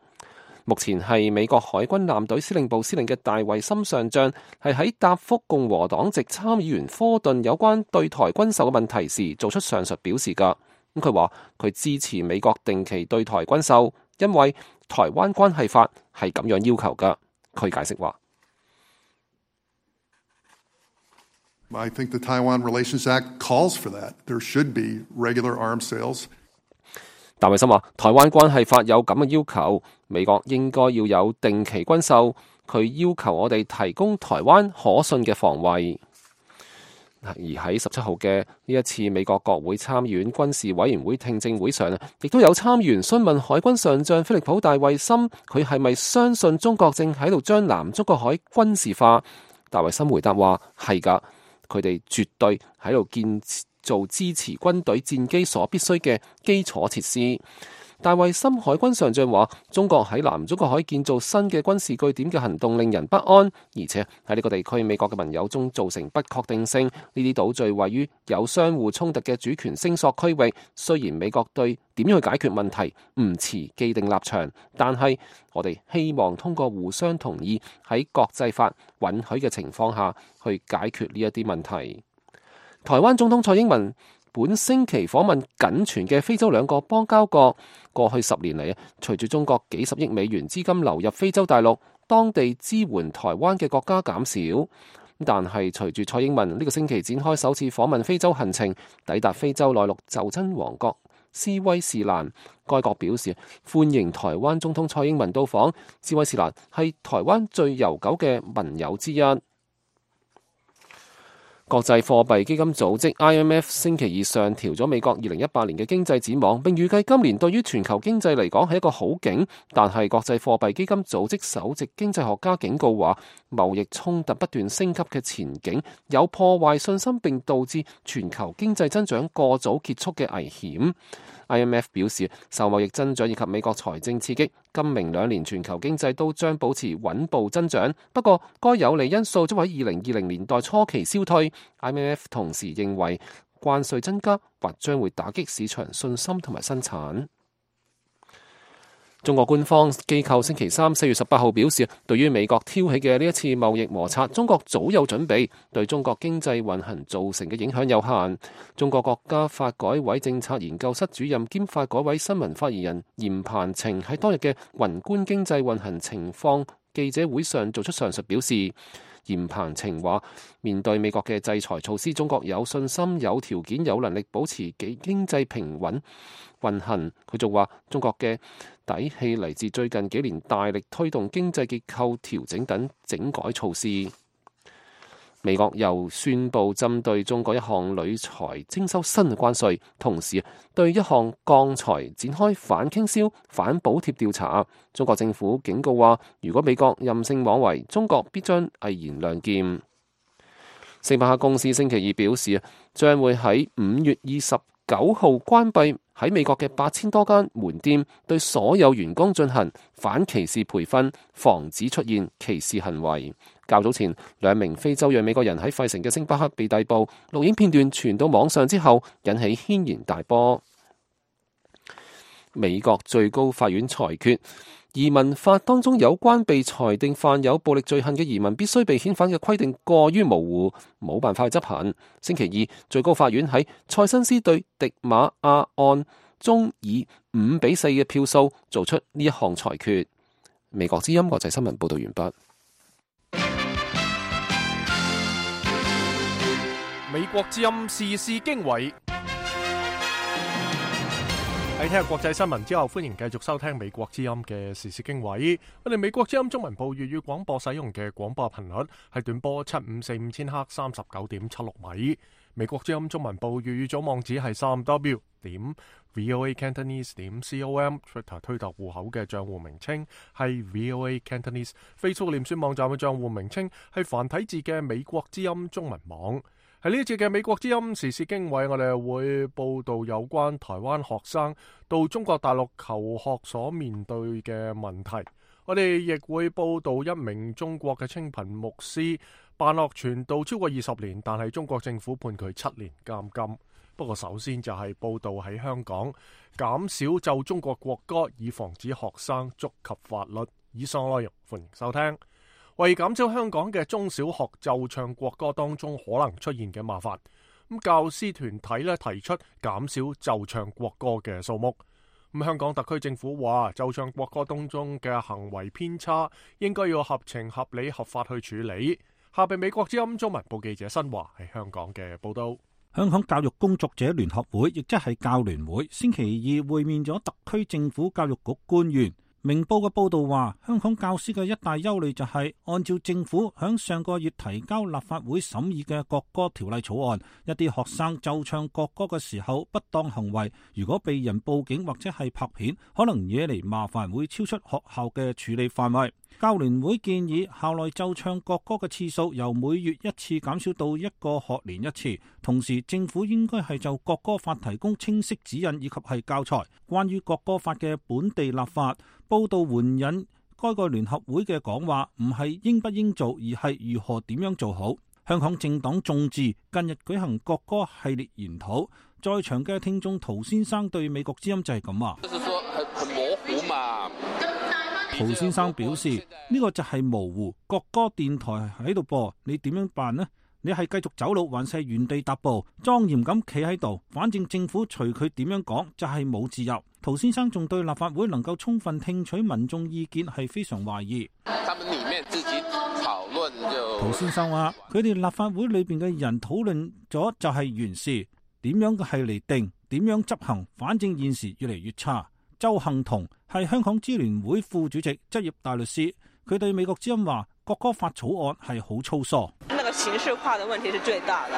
目前係美國海軍艦隊司令部司令嘅戴維森上將係喺答覆共和黨籍參議員科頓有關對台軍售嘅問題時做出上述表示㗎。咁佢話佢支持美國定期對台軍售，因為台灣關係法係咁樣要求㗎。佢解釋話I think the Taiwan Relations Act calls for that. There should be regular arms sales. 戴維森話台灣關係法有咁嘅要求，美國應該要有定期軍售。佢要求我哋提供台灣可信嘅防衛。而喺17號嘅呢一次美國國會參議院軍事委員會聽證會上，亦都有參議員詢問海軍上將菲利普·戴維森，佢係咪相信中國正喺度將南中國海軍事化？戴維森回答話係㗎，佢哋絕對喺度建造支持軍隊戰機所必須嘅基礎設施。戴維森海軍上將話，中國喺南中國海建造新嘅軍事據點嘅行動令人不安，而且喺呢個地區美國嘅盟友中造成不確定性。呢啲島嶼位於有相互衝突嘅主權聲索區域，雖然美國對點樣去解決問題唔持既定立場，但係我哋希望通過互相同意喺國際法允許嘅情況下去解決呢一啲問題。台灣總統蔡英文本星期訪問僅存嘅非洲兩個邦交國。過去10年嚟，隨住中國幾十億美元資金流入非洲大陸，當地支援台灣嘅國家減少。但係隨住蔡英文呢個星期展開首次訪問非洲行程，抵達非洲內陸袖珍王國斯威士蘭，該國表示歡迎台灣總統蔡英文到訪。斯威士蘭係台灣最悠久嘅盟友之一。國際貨幣基金組織 IMF 星期二上調咗美國2018年嘅經濟展望，並預計今年對於全球經濟嚟講係一個好景。但係國際貨幣基金組織首席經濟學家警告話，貿易衝突不斷升級嘅前景有破壞信心並導致全球經濟增長過早結束嘅危險。IMF 表示，受貿易增長以及美國財政刺激，今明2年全球經濟都將保持穩步增長。不過，該有利因素將喺2020年代初期消退。IMF 同時認為，關稅增加或將會打擊市場信心同埋生產。中國官方機構星期三4月18號表示，對於美國挑起嘅呢一次貿易摩擦，中國早有準備，對中國經濟運行造成嘅影響有限。中國國家發改委政策研究室主任兼發改委新聞發言人嚴鵬程喺當日嘅宏觀經濟運行情況記者會上做出上述表示。嚴鵬程話，面對美國嘅制裁措施，中國有信心、有條件、有能力保持經濟平穩運行。佢仲話，中國嘅底氣嚟自最近幾年大力推動經濟結構調整等整改措施。美國又宣布針對中國一項鋁材徵收新嘅關稅，同時對一項鋼材展開反傾銷、反補貼調查。中國政府警告話，如果美國任性妄為，中國必將毅然亮劍。星巴克公司星期二表示，將會喺5月29號關閉喺美國嘅8000多間門店，對所有員工進行反歧視培訓，防止出現歧視行為。較早前，2名非洲裔美國人喺費城嘅星巴克被逮捕，錄影片段傳到網上之後，引起軒然大波。美國最高法院裁決，移民法當中有關被裁定犯有暴力罪行嘅移民必須被遣返嘅規定過於模糊，冇辦法去執行。星期二，最高法院喺塞申斯對迪馬亞案中以5-4嘅票數做出呢一項裁決。美國之音國際新聞報道完畢。美國之音時事經緯。喺聽日國際新聞之後，歡迎繼續收聽美國之音嘅時事經緯。我哋美國之音中文部粵語廣播使用嘅廣播頻率係短波7545千赫39.76米。美國之音中文部粵語組網址係3w.voacantonese.com。Twitter 推特戶口嘅賬戶名稱係 VOA Cantonese。Facebook 臉書網站嘅賬戶名稱係繁體字嘅美國之音中文網。喺呢一節嘅美國之音時事經緯，我哋會報道有關台灣學生到中國大陸求學所面對嘅問題。我哋亦會報道一名中國嘅清貧牧師辦學傳道超過20年，但係中國政府判佢7年監禁。不過首先就係報道喺香港減少奏中國國歌，以防止學生觸及法律。以上內容歡迎收聽。為減少香港嘅中小學奏唱國歌當中可能出現嘅麻煩，教師團體提出減少奏唱國歌嘅數目。香港特區政府話奏唱國歌當中嘅行為偏差應該要合情合理合法去處理。下邊美國之音中文部記者新華喺香港嘅報道。香港教育工作者聯合會亦即係教聯會星期二會面咗特區政府教育局官員。明報嘅報道話，香港教師嘅一大憂慮就係，按照政府響上個月提交立法會審議嘅國歌條例草案，一啲學生奏唱國歌嘅時候不當行為，如果被人報警或者係拍片，可能惹嚟麻煩，會超出學校嘅處理範圍。教聯會建議校內奏唱國歌嘅次數由每月1次減少到1個學年1次，同時政府應該係就國歌法提供清晰指引以及係教材。關於國歌法嘅本地立法，報道援引該個聯合會嘅講話，唔係應不應做，而係如何點樣做好。香港政黨眾志近日舉行國歌系列研討，在場嘅聽眾陶先生對美國之音就係咁話。就是說很模糊嘛。陶先生表示呢個就係模糊，國歌電台喺度播，你點樣辦呢？你係繼續走路還是原地踏步，莊嚴咁企喺度？反正政府隨佢點樣講就係冇自由。陶先生仲對立法會能夠充分聽取民眾意見係非常懷疑。他們裡面自己討論就。陶先生話：佢哋立法會裏邊嘅人討論咗就係原事，點樣係嚟定，點樣執行，反正現時越嚟越差。周幸彤係香港支聯會副主席、執業大律師，佢對美國之音話：國歌法草案係好粗疏。那個形式化的問題是最大的。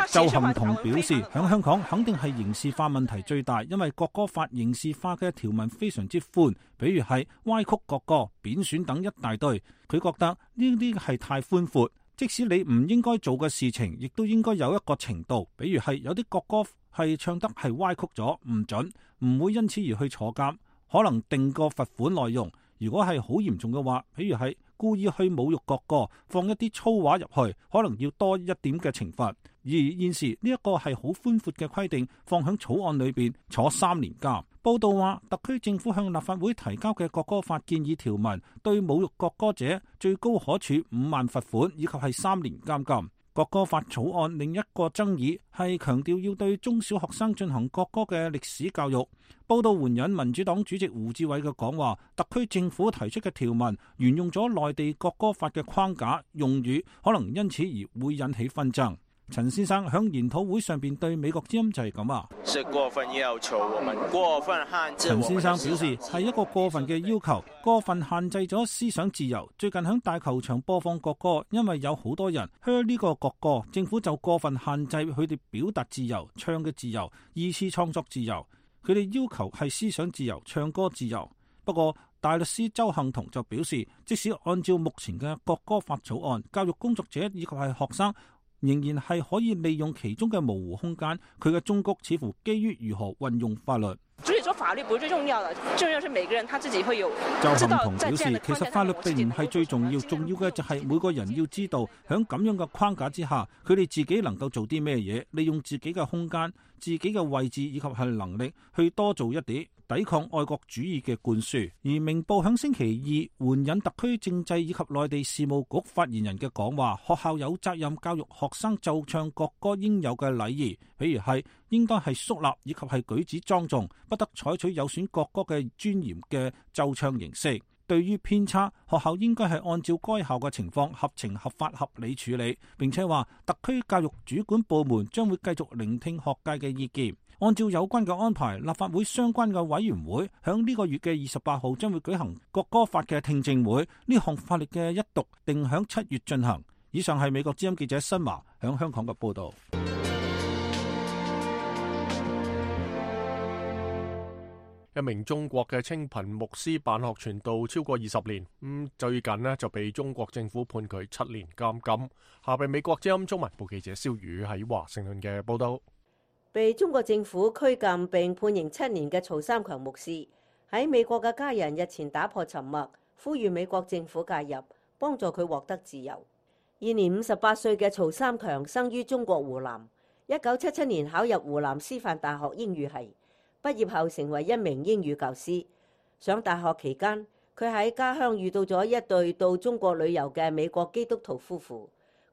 周幸彤表示，喺香港肯定係刑事化問題最大，因為國歌法刑事化嘅條文非常之寬，比如係歪曲國歌、貶損等一大堆。佢覺得呢啲係太寬闊，即使你唔應該做嘅事情，亦都應該有一個程度。比如係有啲國歌係唱得係歪曲咗，唔準，唔會因此而去坐監，可能定個罰款內容。如果係好嚴重嘅話，譬如係故意去侮辱國歌，放一啲粗話入去，可能要多一點嘅懲罰。而現時呢一個係好寬闊嘅規定，放喺草案裏邊坐3年監。報道話，特區政府向立法會提交嘅國歌法建議條文，對侮辱國歌者最高可處5萬罰款，以及係3年監禁。國歌法草案另一個爭議係強調要對中小學生進行國歌嘅歷史教育。報道援引民主黨主席胡志偉嘅講話，特區政府提出嘅條文沿用咗內地國歌法嘅框架用語，可能因此而會引起紛爭。陳先生響研討會上邊對美國之音就係咁話：是過分要求，我們過分限制。陳先生表示係一個過分嘅要求，過分限制咗思想自由。最近響大球場播放國歌，因為有好多人噓呢個國歌，政府就過分限制佢哋表達自由、唱嘅自由、二次創作自由。佢哋要求係思想自由、唱歌自由。不過大律師周幸彤就表示，即使按照目前嘅國歌法草案，教育工作者以及係學生仍然係可以利用其中嘅模糊空間，佢嘅忠告似乎基於如何運用法律。最說法律不是最重要的，重要是每個人他自己會有知道周幸彤表示，在這樣的其實法律並唔係最重要，重要嘅就係每個人要知道喺咁樣嘅框架之下，佢哋自己能夠做啲咩嘢，利用自己嘅空間、自己嘅位置以及係能力去多做一啲，抵抗愛國主義嘅灌輸。而明報響星期二援引特區政制以及內地事務局發言人嘅講話，學校有責任教育學生奏唱國歌應有嘅禮儀，比如係應該係肅立以及係舉止莊重，不得採取有損國歌嘅尊嚴嘅奏唱形式。對於偏差，學校應該係按照該校嘅情況合情合法合理處理。並且話特區教育主管部門將會繼續聆聽學界嘅意見，按照有關嘅安排，立法會相關嘅委員會響呢個月嘅28號將會舉行國歌法嘅聽證會，呢項法律嘅一讀定響7月進行。以上係美國之音記者新華響香港嘅報道。一名中國嘅清貧牧師辦學傳道超過20年，最近呢就被中國政府判佢7年監禁。下邊美國之音中文部記者蕭宇喺華盛頓嘅報道。被中國政府拘禁並判刑7年嘅曹三強牧師，喺美國嘅家人日前打破沉默，呼籲美國政府介入，幫助佢獲得自由。現年58歲嘅曹三強生於中國湖南，1977年考入湖南師範大學英語系。畢業後成為一名英語教師。上大學期間，佢喺家鄉遇到咗一對到中國旅遊嘅美國基督徒夫婦，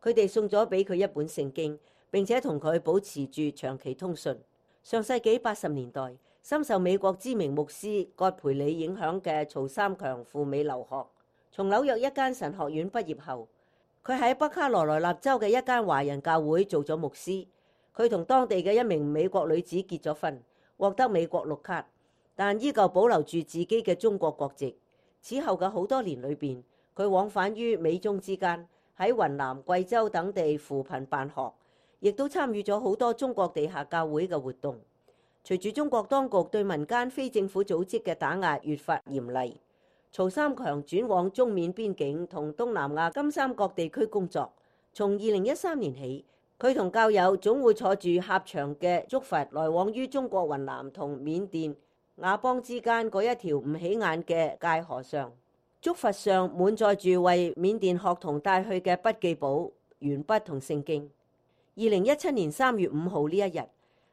佢哋送咗俾佢一本聖經，並且同佢保持住長期通訊。上世紀80年代，深受美國知名牧師葛培理影響嘅曹三強赴美留學，從紐約一間神學院畢業後，佢喺北卡羅來納州嘅一間華人教會做咗牧師。佢同當地嘅一名美國女子結咗婚，獲得美國綠卡，但依舊保留住自己嘅中國國籍。此後嘅好多年裏邊，佢往返於美中之間，喺雲南、貴州等地扶貧辦學，亦都參與咗好多中國地下教會嘅活動。隨住中國當局對民間非政府組織嘅打壓越發嚴厲，曹三強轉往中緬邊境同東南亞金三角地區工作。從2013年起，佢同教友總會坐住狹長嘅竹筏來往於中國雲南同緬甸佤邦之間嗰一條唔起眼嘅界河上。竹筏上滿載住為緬甸學童帶去嘅筆記簿、鉛筆同聖經。2017年3月5號呢一日，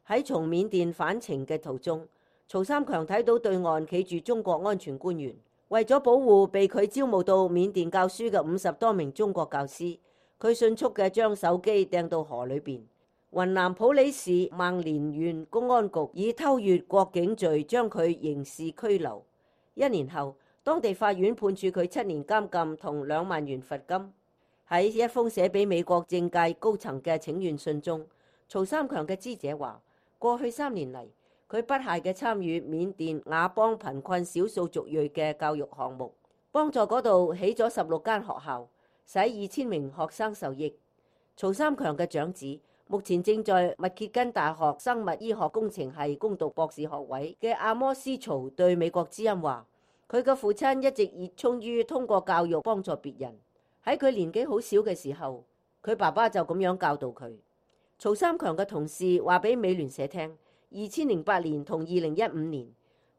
喺從緬甸返程嘅途中，曹三強睇到對岸企住中國安全官員，為咗保護被佢招募到緬甸教書嘅50多名中國教師，佢迅速嘅將手機掟到河裏邊。雲南普洱市孟連縣公安局以偷越國境罪將佢刑事拘留。1年後，當地法院判處佢7年監禁同2萬元罰金。喺一封寫俾美國政界高層嘅請願信中，曹三強嘅知者話：過去3年嚟，佢不懈嘅參與緬甸佤邦貧困少數族裔嘅教育項目，幫助嗰度起咗16間學校，使2000名學生受益。曹三強嘅長子目前正在密歇根大學生物醫學工程系攻讀博士學位嘅阿摩斯曹對美國之音話：佢嘅父親一直熱衷於通過教育幫助別人。喺佢年紀好小嘅時候，佢爸爸就咁樣教導佢。曹三強嘅同事話俾美聯社聽，2008年同2015年，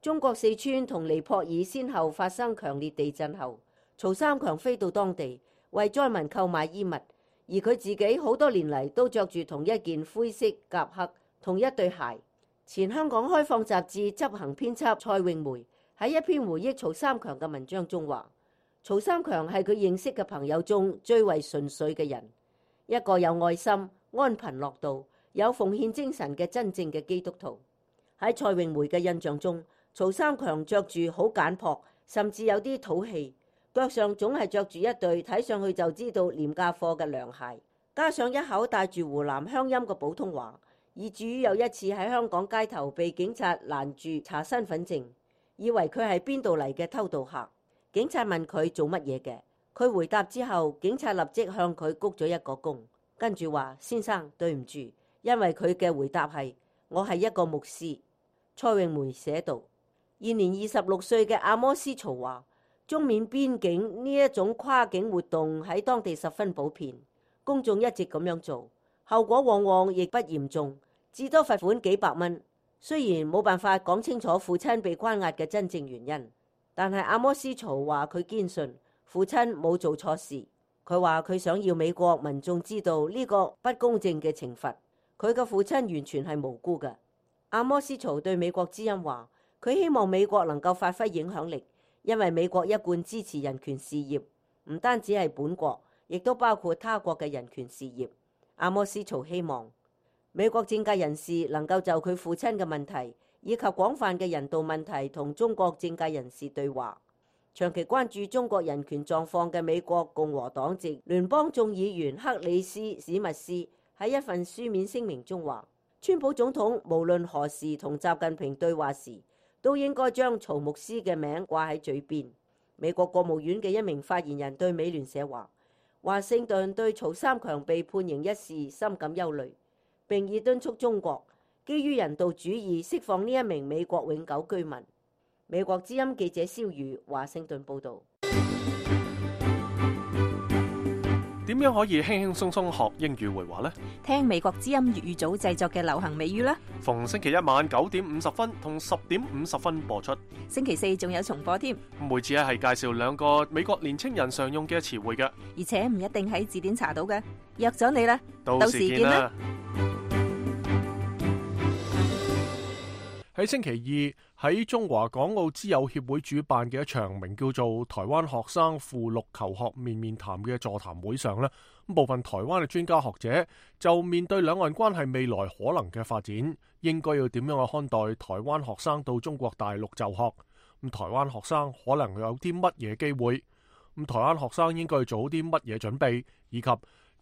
中國四川同尼泊爾先後發生強烈地震後，曹三強飛到當地為災民購買衣物，而佢自己好多年嚟都着住同一件灰色夾克同一對鞋。前香港開放雜誌執行編輯蔡詠梅喺一篇回憶曹三強嘅文章中話：曹三強係佢認識嘅朋友中最為純粹嘅人，一個有愛心、安貧樂道、有奉獻精神嘅真正嘅基督徒。喺蔡詠梅嘅印象中，曹三強着住好簡樸，甚至有啲土氣，腳上總係着住一對睇上去就知道廉價貨嘅涼鞋，加上一口帶住湖南鄉音嘅普通話，以至於有一次喺香港街頭被警察攔住查身份證，以為佢係邊度嚟嘅偷渡客。警察問佢做乜嘢嘅，佢回答之後，警察立即向佢鞠咗一個躬，跟住話：先生，對唔住，因為佢嘅回答係：我係一個牧師。蔡詠梅寫道：現年26歲嘅阿摩斯曹話，中緬邊境呢一種跨境活動喺當地十分普遍，公眾一直咁樣做，後果往往亦不嚴重，至多罰款幾百蚊。雖然冇辦法講清楚父親被關押嘅真正原因，但係阿摩斯曹話佢堅信父親冇做錯事。佢話佢想要美國民眾知道呢個不公正嘅懲罰，佢嘅父親完全係無辜嘅。阿摩斯曹對美國之音話，佢希望美國能夠發揮影響力，因為美國一貫支持人權事業，唔單止係本國，亦都包括他國嘅人權事業。阿摩斯曹希望美國政界人士能夠就佢父親嘅問題以及廣泛嘅人道問題同中國政界人士對話。長期關注中國人權狀況嘅美國共和黨籍聯邦眾議員克里斯史密斯喺一份書面聲明中話，川普總統無論何時同習近平對話時，都應該將曹牧師嘅名掛喺嘴邊。美國國務院嘅一名發言人對美聯社話，華盛頓對曹三強被判刑一事深感憂慮，並已敦促中國基於人道主義釋放呢一名美國永久居民。美國之音記者蕭瑜華盛頓報道。點樣可以輕輕鬆鬆學英語會話呢？聽美國之音粵語組製作嘅流行美語啦。逢星期一晚9:50同10:50播出。星期四仲有重播添。每次係介紹2個美國年青人常用嘅詞彙嘅，而且唔一定喺字典查到嘅。約咗你啦，到時見啦。喺星期二喺中華港澳之友協會主辦嘅一場名叫做台灣學生赴陸求學面面談嘅座談會上呢，部分台灣嘅專家學者就面對兩岸關係未來可能嘅發展，應該要點樣去看待台灣學生到中國大陸就學？咁台灣學生可能有啲乜嘢機會？咁台灣學生應該做好啲乜嘢準備？以及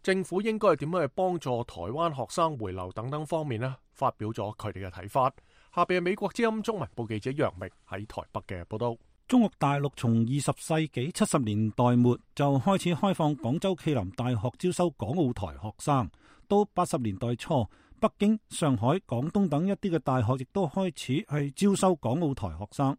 政府應該點樣去幫助台灣學生回流等等方面呢，發表咗佢哋嘅睇法。下邊係美國之音中文部記者楊明喺台北嘅報道。中國大陸從20世紀70年代末就開始開放廣州暨南大學招收港澳台學生，到80年代初，北京、上海、廣東等一啲嘅大學亦都開始係招收港澳台學生。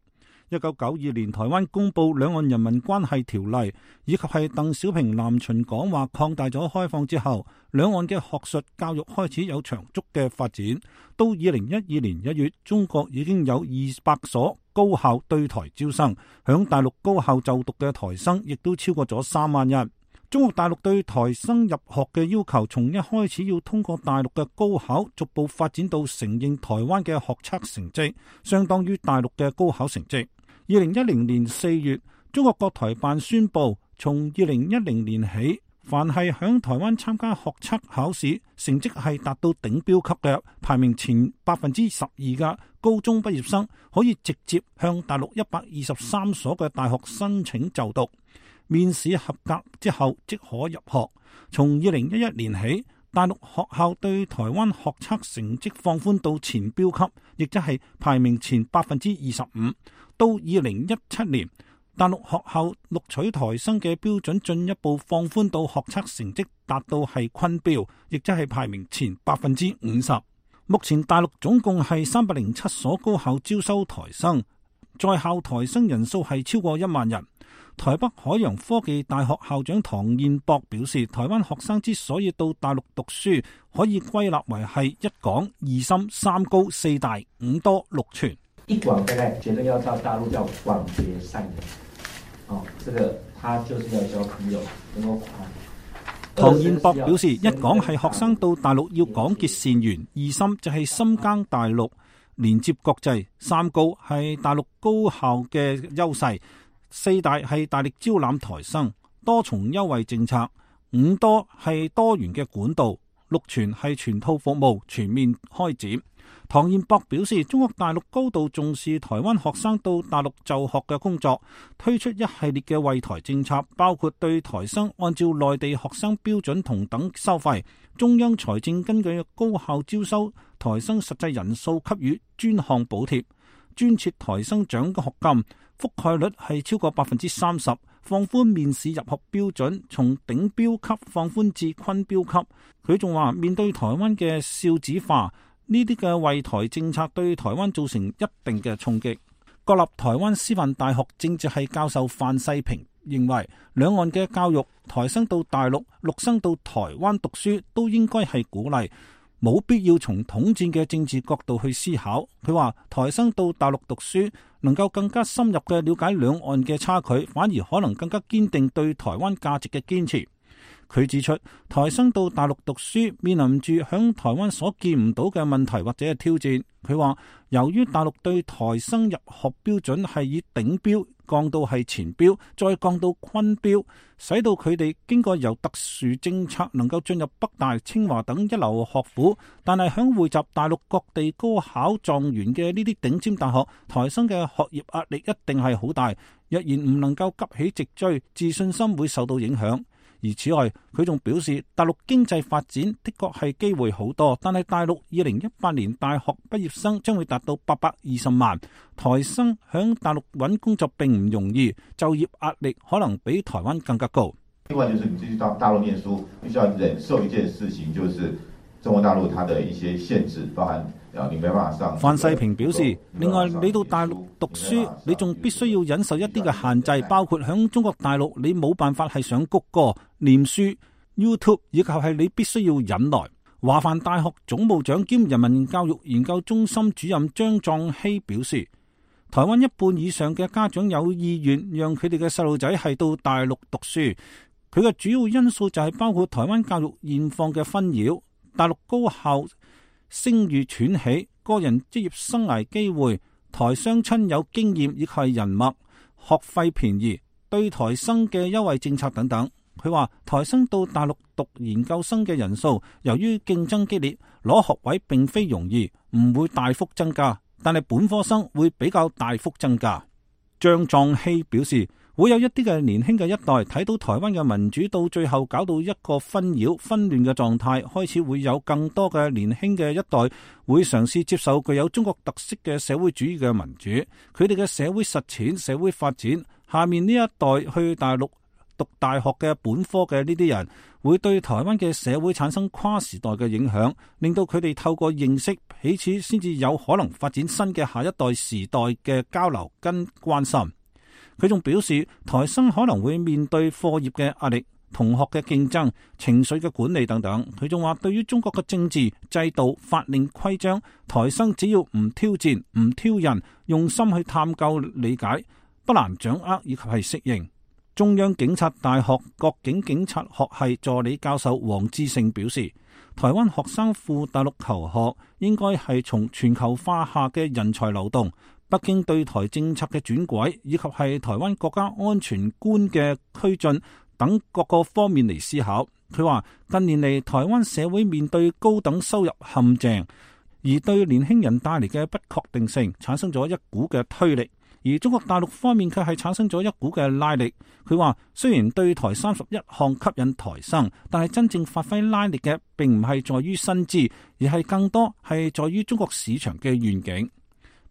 1992年台灣公布兩岸人民關係條例，以及係鄧小平南巡講話擴大咗開放之後，兩岸嘅學術教育開始有長足嘅發展。到2012年1月，中國已經有200所高校對台招生，響大陸高校就讀嘅台生亦都超過咗3萬人。中國大陸對台生入學嘅要求，從一開始要通過大陸嘅高考，逐步發展到承認台灣嘅學測成績相當於大陸嘅高考成績。2010年4月，中國國台辦宣布，從2010年起，凡係響台灣參加學測考試，成績係達到頂標級嘅，排名前12%嘅高中畢業生，可以直接向大陸123所嘅大學申請就讀，面試合格之後即可入學。從2011年起，大陸學校對台灣學測成績放寬到前標級，亦即係排名前25%。到2017年，大陸學校錄取台生嘅標準進一步放寬到學測成績達到係昆標，亦即係排名前50%。目前大陸總共係307所高校招收台生，在校台生人數係超過1萬人。台北海洋科技大學校長唐彥博表示，台灣學生之所以到大陸讀書，可以歸納為係一廣、二深、三高、四大、五多、六全。一廣大概覺得要到大陸叫廣結善緣，這個他就是要交朋友，能夠唐彥博表示，一廣係學生到大陸要廣結善緣，二深就係深耕大陸，連接國際，三高係大陸高校嘅優勢，四大係大力招攬台生，多重優惠政策，五多係多元嘅管道，六全係全套服務全面開展。唐彥博表示，中國大陸高度重視台灣學生到大陸就學嘅工作，推出一系列嘅惠台政策，包括對台生按照內地學生標準同等收費，中央財政根據高校招收台生實際人數給予專項補貼，專設台生獎學金，覆蓋率係超過30%，放寬面試入學標準，從頂標級放寬至昆標級。佢仲話，面對台灣嘅少子化，呢啲嘅惠台政策對台灣造成一定嘅衝擊。國立台灣師範大學政治系教授范世平認為，兩岸嘅教育，台生到大陸、陸生到台灣讀書都應該係鼓勵，冇必要從統戰嘅政治角度去思考。佢話台生到大陸讀書，能夠更加深入嘅了解兩岸嘅差距，反而可能更加堅定對台灣價值嘅堅持。佢指出，台生到大陸讀書，面臨住響台灣所見唔到嘅問題或者係挑戰。佢話，由於大陸對台生入學標準係以頂標降到係前標，再降到昆標，使到佢哋經過由特殊政策能夠進入北大、清華等一流學府，但係響匯集大陸各地高考狀元嘅呢啲頂尖大學，台生嘅學業壓力一定係好大。若然唔能夠急起直追，自信心會受到影響。而此外，佢仲表示，大陸經濟發展的確係機會好多，但係大陸2018年大學畢業生將會達到820萬，台生響大陸揾工作並唔容易，就業壓力可能比台灣更加高。另外就是你繼續到大陸念書，必須要忍受一件事情，就是中國大陸它的一些限制，包含你沒辦法上。范世平表示，另外你到大陸讀書，你仲必須要忍受一啲嘅限制，包括響中國大陸你冇辦法係上谷歌、念書、YouTube， 以及係你必須要忍耐。華梵大學總務長兼人民教育研究中心主任張壯熙表示，台灣一半以上嘅家長有意願讓佢哋嘅細路仔係到大陸讀書，佢嘅主要因素就係包括台灣教育現況嘅紛擾、大陸高校聲譽喘起、個人職業生涯機會、台雙親有經驗以及係人脈、學費便宜、對台生嘅優惠政策等等。佢話台生到大陸讀研究生嘅人數，由於競爭激烈，攞學位並非容易，唔會大幅增加，但係本科生會比較大幅增加。張壯熙表示，會有一啲嘅年輕嘅一代睇到台灣嘅民主到最後搞到一個紛擾紛亂嘅狀態，開始會有更多嘅年輕嘅一代會嘗試接受具有中國特色嘅社會主義嘅民主，佢哋嘅社會實踐、社會發展。下面呢一代去大陸讀大學嘅本科嘅呢啲人，會對台灣嘅社會產生跨時代嘅影響，令到佢哋透過認識彼此，先至有可能發展新嘅下一代時代嘅交流跟關心。佢仲表示，台生可能會面對課業嘅壓力、同學嘅競爭、情緒嘅管理等等。佢仲話，對於中國嘅政治制度、法令規章，台生只要唔挑戰、唔挑釁，用心去探究理解，不難掌握以及係適應。中央警察大學國境警察學系助理教授黃志勝表示，台灣學生赴大陸求學應該係從全球化下嘅人才流動、北京對台政策嘅轉軌，以及係台灣國家安全觀嘅推進等各個方面嚟思考。佢話近年嚟台灣社會面對高等收入陷阱，而對年輕人帶嚟嘅不確定性產生咗一股嘅推力，而中國大陸方面卻係產生咗一股嘅拉力。佢話雖然對台31項吸引台生，但係真正發揮拉力嘅並唔係在於薪資，而係更多係在於中國市場嘅願景。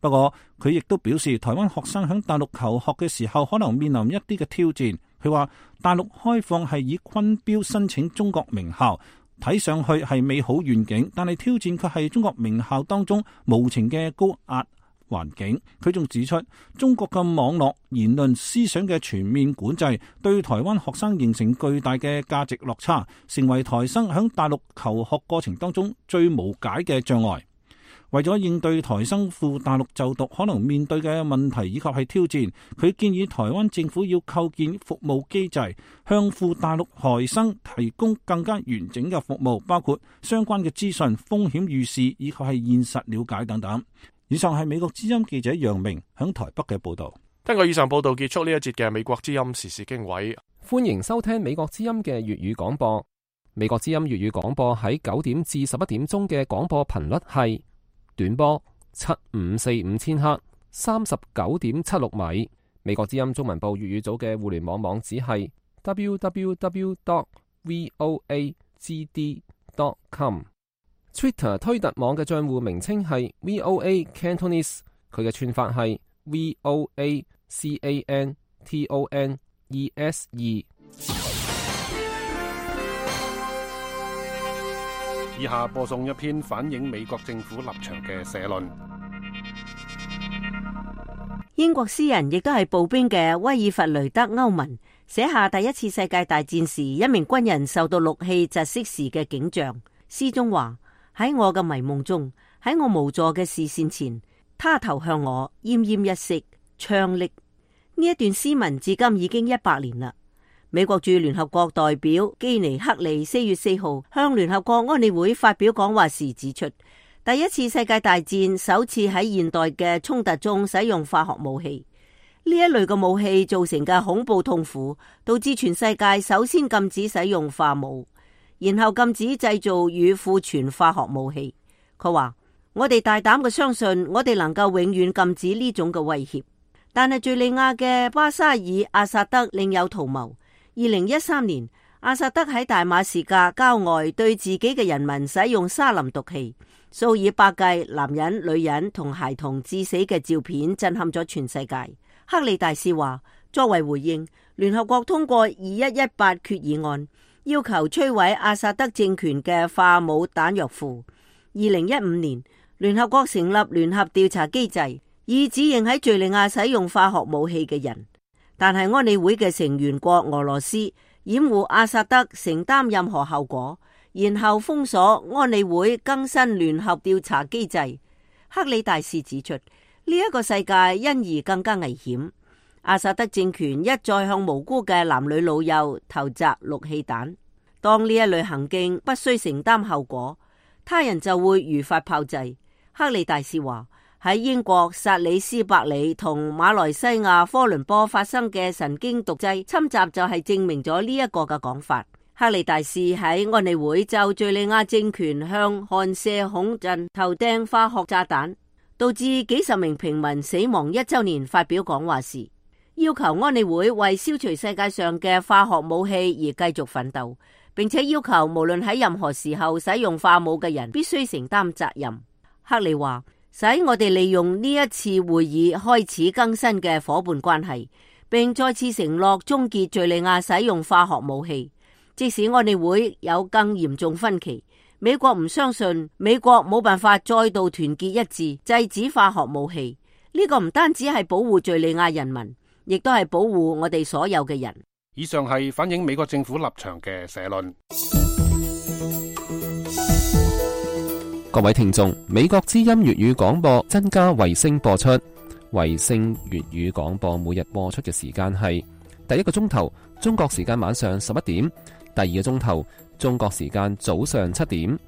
不過佢亦都表示，台灣學生喺大陸求學嘅時候可能面臨一啲嘅挑戰。佢話大陸開放係以昆標申請中國名校，睇上去係美好願景，但係挑戰卻係中國名校當中無情嘅高壓環境。佢仲指出，中國嘅網絡言論思想嘅全面管制，對台灣學生形成巨大嘅價值落差，成為台生喺大陸求學過程當中最無解嘅障礙。為咗應對台生赴大陸就讀可能面對嘅問題以及係挑戰，佢建議台灣政府要構建服務機制，向赴大陸台生提供更加完整嘅服務，包括相關嘅資訊、風險預示以及係現實了解等等。以上係美國之音記者楊明響台北嘅報道。聽過以上報道，結束呢一節嘅美國之音時事經緯。歡迎收聽美國之音嘅粵語廣播。美國之音粵語廣播喺9點至11點鐘嘅廣播頻率係短波7545千赫39.76米。美國之音中文部粵語組嘅互聯網網址係 www.voagd.com。Twitter 推特網嘅賬戶名稱係 VOA Cantonese， 佢嘅串法係 VOACANTONESE。以下播送一篇反映美國政府立場嘅社論。英國詩人亦都係步兵嘅威爾弗雷德歐文寫下第一次世界大戰時一名軍人受到氯氣窒息時嘅景象。詩中話：喺我嘅迷夢中，喺我無助嘅視線前，他投向我奄奄一息，槍櫪。呢一段詩文至今已經100年啦。美國駐聯合國代表基尼克利4月4號向聯合國安理會發表講話時指出，第一次世界大戰首次喺現代嘅衝突中使用化學武器。呢一類嘅武器造成嘅恐怖痛苦，導致全世界首先禁止使用化武，然後禁止製造與庫存化學武器。佢話：我哋大膽嘅相信，我哋能夠永遠禁止呢種嘅威脅。但係敘利亞嘅巴沙爾阿薩德另有圖謀。2013年，阿薩德喺大馬士革郊外對自己嘅人民使用沙林毒氣，數以百計男人、女人同孩童致死嘅照片震撼咗全世界。克里大使話，作為回應，聯合國通過2118決議案，要求摧毀阿薩德政權嘅化武彈藥庫。2015年，聯合國成立聯合調查機制，以指認喺敘利亞使用化學武器嘅人。但係安理會嘅成員國俄羅斯掩護阿薩德承擔任何後果，然後封鎖安理會更新聯合調查機制。克里大使指出，呢一個世界因而更加危險。阿薩德政權一再向無辜嘅男女老幼投擲氯氣彈。當呢一類行徑不需承擔後果，他人就會如法炮製。克里大使話，喺英國薩里斯伯里同馬來西亞科倫坡發生嘅神經毒劑侵襲就係證明咗呢一個嘅講法。克里大使喺安理會就敘利亞政權向汗舍孔鎮投掟化學炸彈，導致幾十名平民死亡1週年發表講話時，要求安理會為消除世界上嘅化學武器而繼續奮鬥，並且要求無論喺任何時候使用化武嘅人必須承擔責任。克里話，使我哋利用呢一次會議開始更新嘅夥伴關係，並再次承諾終結敘利亞使用化學武器。即使安理會有更嚴重分歧，美國唔相信美國冇辦法再度團結一致制止化學武器。呢個唔單止係保護敘利亞人民，亦都係保護我哋所有嘅人。以上係反映美國政府立場嘅社論。各位聽眾，美國之音粵語廣播增加衛星播出。衛星粵語廣播每日播出嘅時間係第一個鐘頭中國時間晚上11點，第二個鐘頭中國時間早上7點。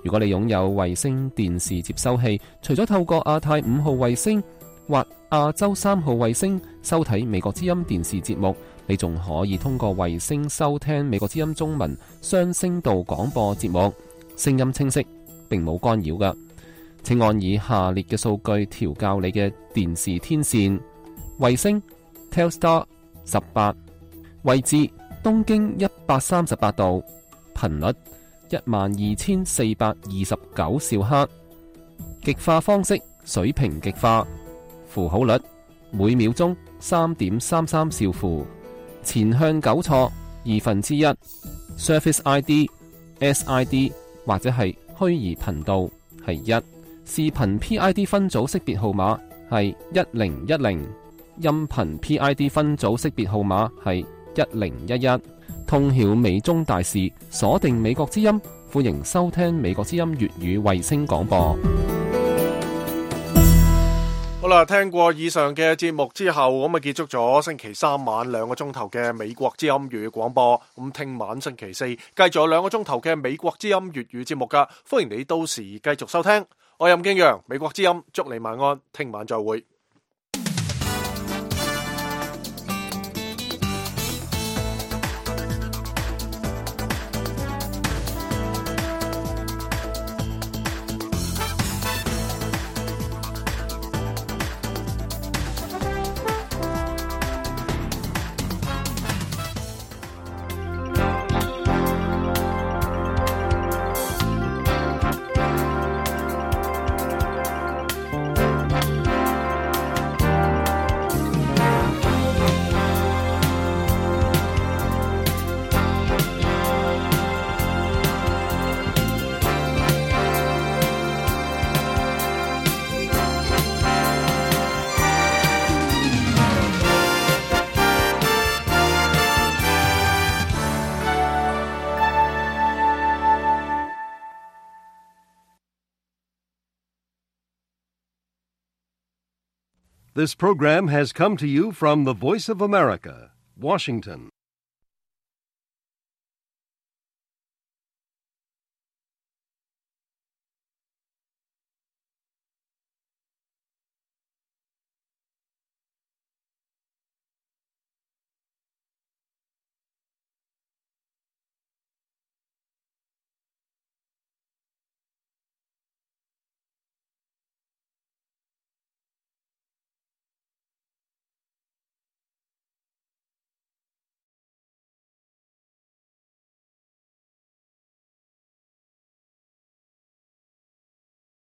如果你擁有衛星電視接收器，除咗透過亞太5號衛星或亞洲3號衛星收睇美國之音電視節目，你仲可以通過衛星收聽美國之音中文雙聲道廣播節目，聲音清晰，並冇干擾㗎。請按以下列嘅數據調校你嘅電視天線：衛星 Telstar 18，位置東經138度，頻率12429兆赫，極化方式水平極化，符號率每秒鐘3.33兆符，前向糾錯1/2， Surface ID、SID 或者係虛擬頻道係1，視頻 PID 分組識別號碼係1010，音頻 PID 分組識別號碼係1011。通曉美中大事，鎖定美國之音，歡迎收聽美國之音粵語衛星廣播。好啦，聽過以上嘅節目之後，咁啊結束咗星期三晚2個鐘頭嘅美國之音粵語廣播。咁聽晚星期四繼續有2個鐘頭嘅美國之音粵語節目噶，歡迎你到時繼續收聽。我係任敬陽，美國之音，祝你晚安，聽晚再會。This program has come to you from the Voice of America, Washington.